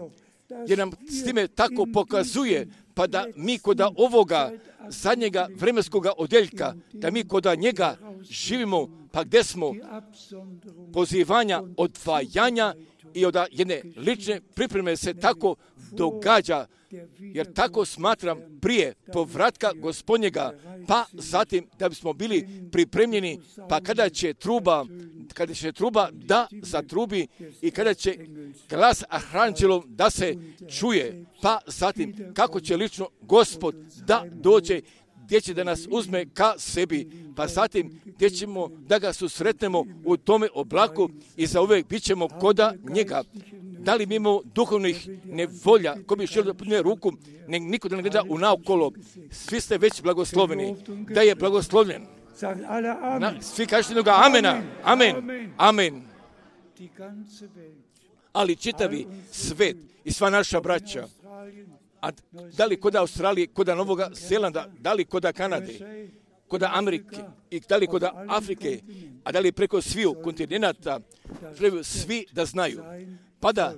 jer nam s time tako pokazuje, pa da mi koda ovoga zadnjega vremenskoga odjeljka, da mi koda njega živimo, pa gdje smo pozivanja, odvajanja i od jedne lične pripreme se tako događa, jer tako smatram prije povratka Gospodnjega, pa zatim da bismo bili pripremljeni, pa kada će truba, kada će truba da zatrubi i kada će glas arhanđelov da se čuje, pa zatim kako će lično Gospod da dođe, gdje će da nas uzme ka sebi, pa zatim gdje ćemo da ga susretnemo u tome oblaku i zauvijek bit ćemo koda njega. Da li mi imamo duhovnih nevolja, ko bi želio da podne ruku, ne, niko da ne gleda u naokolo, svi ste već blagosloveni, da je blagoslovljen. Na, svi kažete ga amena, amen, amen. Ali čitavi svet i sva naša braća, a da li koda Australije, koda Novoga Zelanda, da li koda Kanade, kod Amerike, i da li kod Afrike, a da li preko sviju kontinenata, žele svi da znaju. Pa da,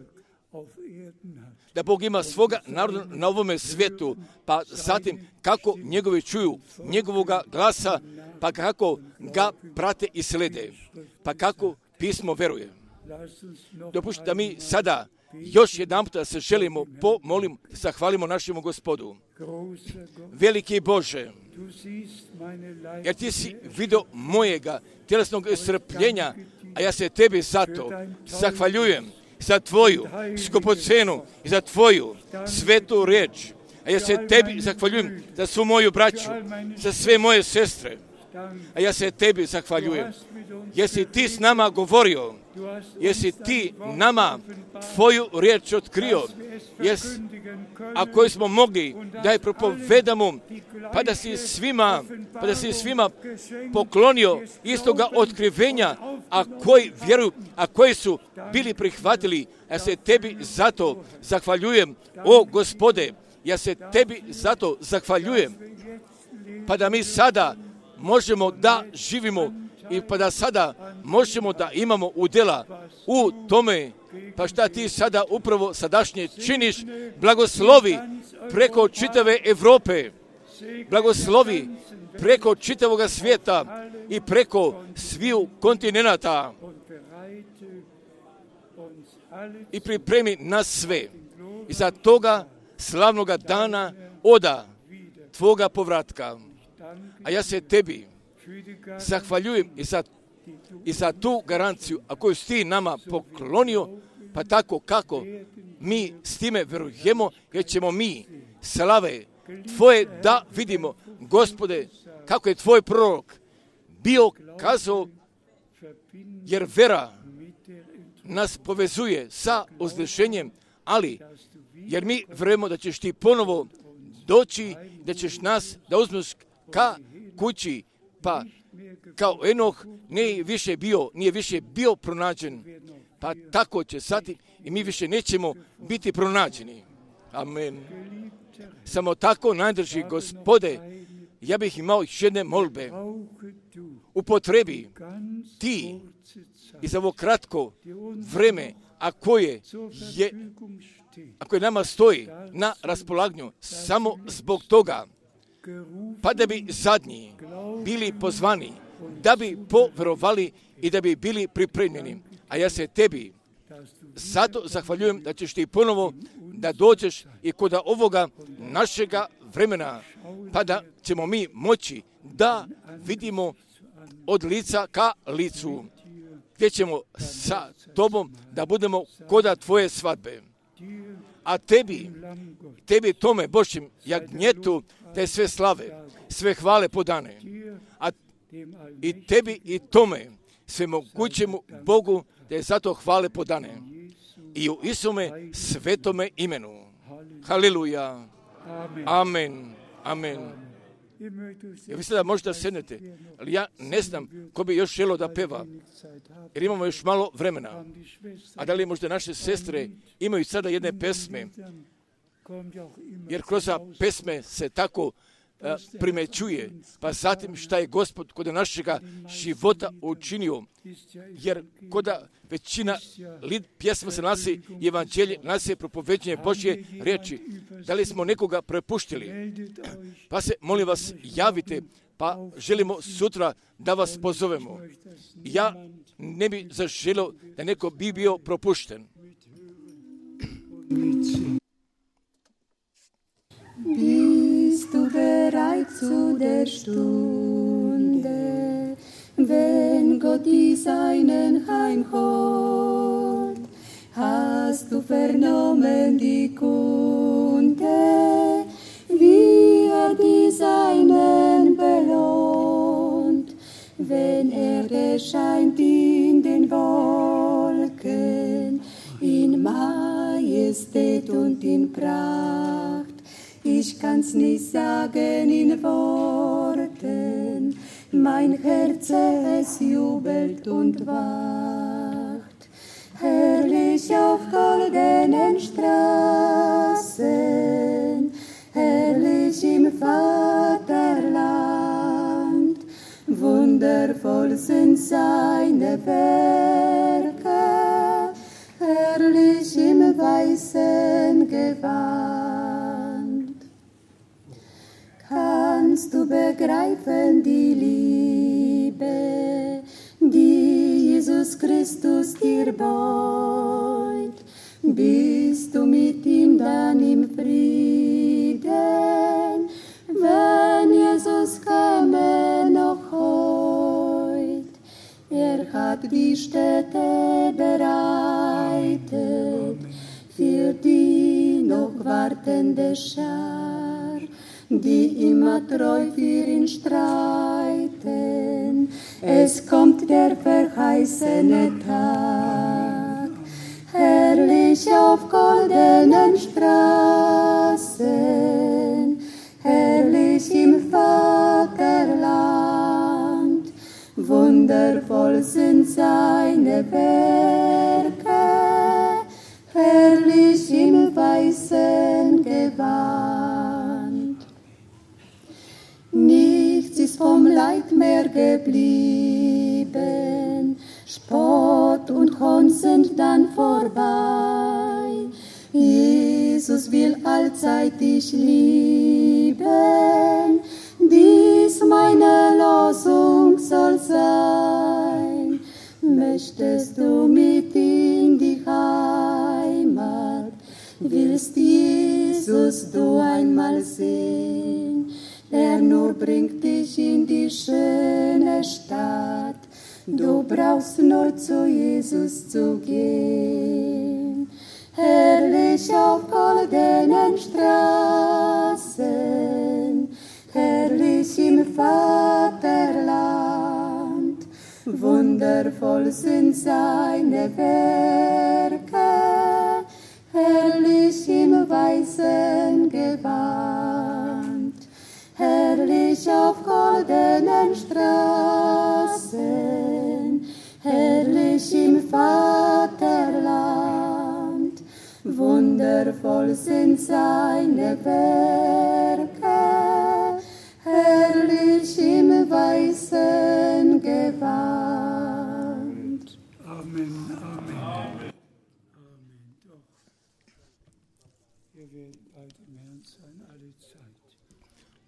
da Bog ima svoga naroda na ovome svijetu, pa zatim kako njegovi čuju njegovoga glasa, pa kako ga prate i slede, pa kako pismo veruje. Dopušti da mi sada još jedan puta se želimo pomolim, zahvalimo našemu Gospodu. Veliki Bože, jer ti si vidio mojega tjelesnog strpljenja, a ja se tebi zato zahvaljujem za tvoju skupocenu i za tvoju svetu riječ. A ja se tebi zahvaljujem za svu moju braću, za sve moje sestre. A ja se tebi zahvaljujem. Jesi ti s nama govorio, jesi ti nama tvoju riječ otkrio, jes, a koju smo mogli da je propovedamo, pa da si svima, pa da si svima poklonio istoga otkrivenja, a koji vjeruju, a koji su bili prihvatili. Ja se tebi zato zahvaljujem, o Gospode, ja se tebi zato zahvaljujem, pa da mi sada možemo da živimo i pa da sada možemo da imamo udjela u tome, pa šta ti sada upravo sadašnje činiš, blagoslovi preko čitave Europe, blagoslovi preko čitavoga svijeta i preko sviju kontinenata i pripremi nas sve i za toga slavnoga dana oda tvoga povratka. A ja se tebi zahvaljujem i za, i za tu garanciju, a koju si ti nama poklonio, pa tako kako mi s time verujemo, jer ćemo mi slave tvoje da vidimo, Gospode, kako je tvoj prorok bio kazao, jer vera nas povezuje sa uzvišenjem, ali jer mi verujemo da ćeš ti ponovo doći, da ćeš nas da uzmeš ka kući, pa kao Enoh nije više bio, nije više bio pronađen, pa tako će sati i mi više nećemo biti pronađeni. Amen. Samo tako najdrži Gospode, ja bih imao još jedne molbe. Upotrebi ti i za ovo kratko vreme, a koje je, a koje nama stoji na raspolaganju, samo zbog toga, pa da bi zadnji bili pozvani, da bi poverovali i da bi bili pripremljeni. A ja se tebi zato zahvaljujem da ćeš ti ponovo da dođeš i kod ovoga našega vremena, pa da ćemo mi moći da vidimo od lica ka licu, gdje ćemo sa tobom da budemo koda tvoje svadbe. A tebi, tebi tome Božjem jagnjetu, te sve slave, sve hvale podane. A i tebi i tome, sve mogućemu Bogu, da je zato hvale podane. I u Isume svetome imenu. Haleluja. Amen. Amen. Ja vi sada možda sednete, ali ja ne znam ko bi još želo da peva, jer imamo još malo vremena. A da li možda naše sestre imaju sada jedne pesme, jer kroz pesme se tako a, primećuje, pa zatim šta je Gospod kod našega života učinio, jer kod većina pjesma se nasi i evanđelje, nasi je propoveđenje Božje riječi. Da li smo nekoga prepuštili? Pa se, molim vas, javite, pa želimo sutra da vas pozovemo. Ja ne bi zaželio da neko bi bio propušten. Bist du bereit zu der Stunde, wenn Gott die Seinen heimholt? Hast du vernommen die Kunde, wie er die Seinen belohnt, wenn er erscheint in den Wolken, in Majestät und in Pracht? Ich kann's nicht sagen in Worten, mein Herz es jubelt und wacht. Herrlich auf goldenen Straßen, herrlich im Vaterland, wundervoll sind seine Werke, herrlich im weißen Gewand. Kannst du begreifen die Liebe, die Jesus Christus dir beut? Bist du mit ihm dann im Frieden, wenn Jesus käme noch heut? Er hat die Städte bereitet für die noch wartende Schar, die immer treu für ihn streiten. Es kommt der verheißene Tag, herrlich auf goldenen Straßen, herrlich im Vaterland. Wundervoll sind seine Werke, herrlich im weißen Gewand. Nichts ist vom Leid mehr geblieben, Spott und Hohn sind dann vorbei. Jesus will allzeit dich lieben, dies meine Losung soll sein. Möchtest du mit in die Heimat, willst Jesus du einmal sehen, der nur bringt dich in die schöne Stadt. Du brauchst nur zu Jesus zu gehen. Herrlich auf goldenen Straßen, herrlich im Vaterland. Wundervoll sind seine Werke, herrlich im weißen Gewand. Herrlich auf goldenen Straßen, herrlich im Vaterland. Wundervoll sind seine Werke, herrlich im weißen Gewand. Amen, Amen. Amen. Doch. Ihr werdet bald im Herrn sein, alle Zeit.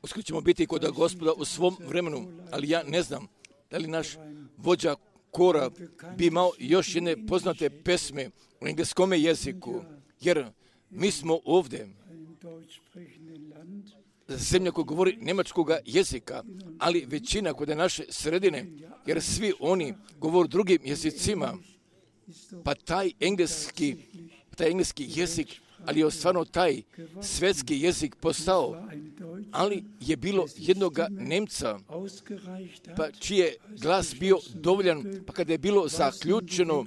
Uskoro ćemo biti kod Gospoda u svom vremenu, ali ja ne znam da li naš vođa kora bi imao još jedne poznate pesme u engleskom jeziku, jer mi smo ovdje zemlja koja govori njemačkog jezika, ali većina kod naše sredine, jer svi oni govore drugim jezicima, pa taj engleski, taj engleski jezik, ali je stvarno taj svjetski jezik postao, ali je bilo jednog Nemca, pa čiji je glas bio dovoljan, pa kada je bilo zaključeno,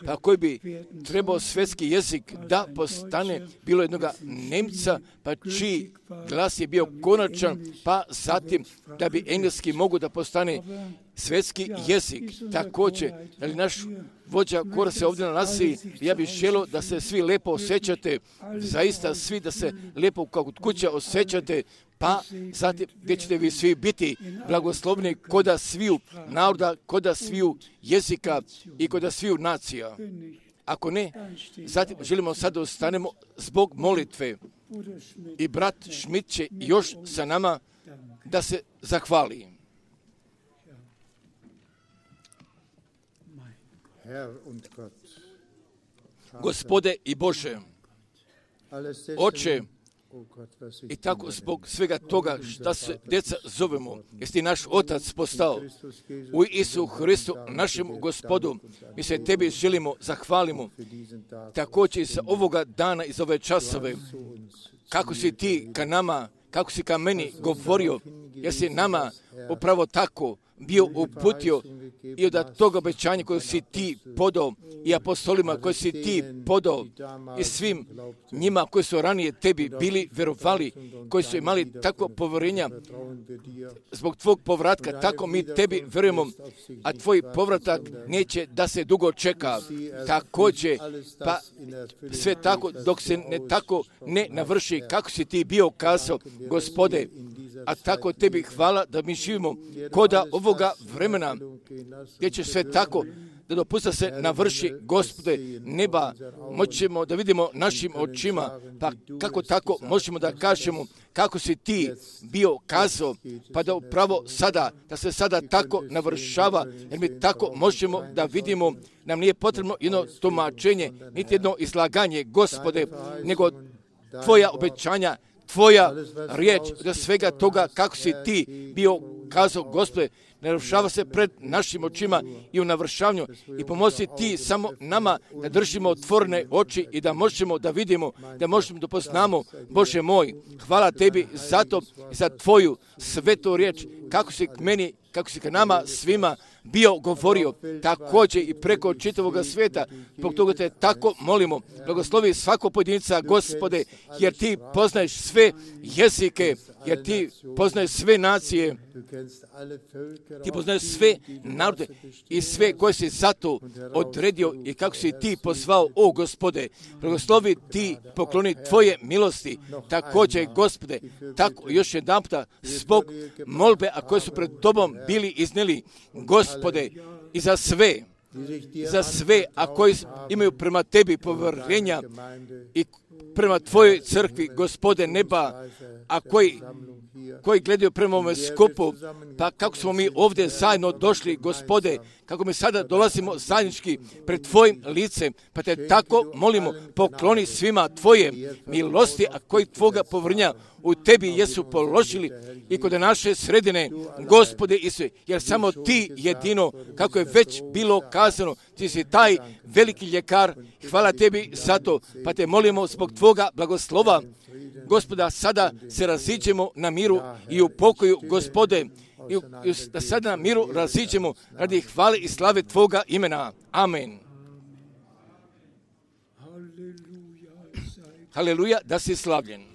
pa koji bi trebao svjetski jezik da postane, bilo jednog Nemca, pa čiji glas je bio konačan, pa zatim da bi engleski mogu da postane svjetski jezik. Također, ali naš vođa kora se ovdje nalazi, ja bih želio da se svi lijepo osjećate, zaista svi da se lijepo kao kod kuće osjećate, pa zatim gdje ćete vi svi biti blagoslovni koda sviju naroda, koda sviju jezika i koda sviju nacija. Ako ne, zatim želimo sad da ostanemo zbog molitve i brat Schmidt će još sa nama da se zahvali. Gospode i Bože, Oče, i tako zbog svega toga što se djeca zovemo, jesi ti naš Otac postao u Isu Hristu, našem Gospodu, mi se tebi želimo, zahvalimo, također i za ovoga dana i za ove časove, kako si ti ka nama, kako si ka meni govorio, jesi nama upravo tako bio uputio i od toga obećanja koje si ti podao i apostolima koje si ti podao i svim njima koji su ranije tebi bili verovali, koji su imali takvo povjerenja zbog tvog povratka, tako mi tebi verujemo, a tvoj povratak neće da se dugo čeka. Također, pa sve tako dok se ne tako ne navrši kako si ti bio kazao, Gospode, a tako tebi hvala da mi živimo koda ovoga vremena, gdje će sve tako da dopusta se navrši, Gospode, neba, moćemo da vidimo našim očima, pa kako tako možemo da kažemo kako si ti bio kazao, pa da upravo sada, da se sada tako navršava, jer mi tako možemo da vidimo, nam nije potrebno jedno tumačenje, niti jedno izlaganje, Gospode, nego tvoja obećanja, tvoja riječ, da svega toga kako si ti bio kazao, Gospode, navršava se pred našim očima i u navršavanju i pomozi ti samo nama da držimo otvorene oči i da možemo da vidimo, da možemo da poznamo, Bože moj, hvala tebi za to i za tvoju svetu riječ, kako si k meni, kako si k nama svima bio govorio, također i preko čitavog svijeta. Zbog toga te tako molimo, blagoslovi svakog pojedinca, Gospode, jer ti poznaješ sve jezike, jer ti poznaješ sve nacije, ti poznaješ sve narode i sve koje si zato odredio i kako si ti pozvao, o Gospode, blagoslovi ti, pokloni tvoje milosti, također, Gospode, tako još jedan puta zbog molbe, a koje su pred tobom bili iznijeli, Gospode, i za sve, za sve, a koji imaju prema tebi povjerenja i prema tvojoj crkvi, Gospode neba, a koji, koji gledaju prema ovome skupu, pa kako smo mi ovdje zajedno došli, Gospode, kako mi sada dolazimo zajednički pred tvojim licem, pa te tako molimo, pokloni svima tvoje milosti, a koji tvoga povjerenja u tebi jesu položili i kod naše sredine, Gospode Isuse, jer samo ti jedino, kako je već bilo kazano, ti si taj veliki ljekar, hvala tebi za to, pa te molimo zbog tvoga blagoslova, Gospoda, sada se raziđemo na miru i u pokoju, Gospode, i da sada na miru raziđemo radi hvale i slave tvoga imena. Amen. Haleluja, da si slavljen.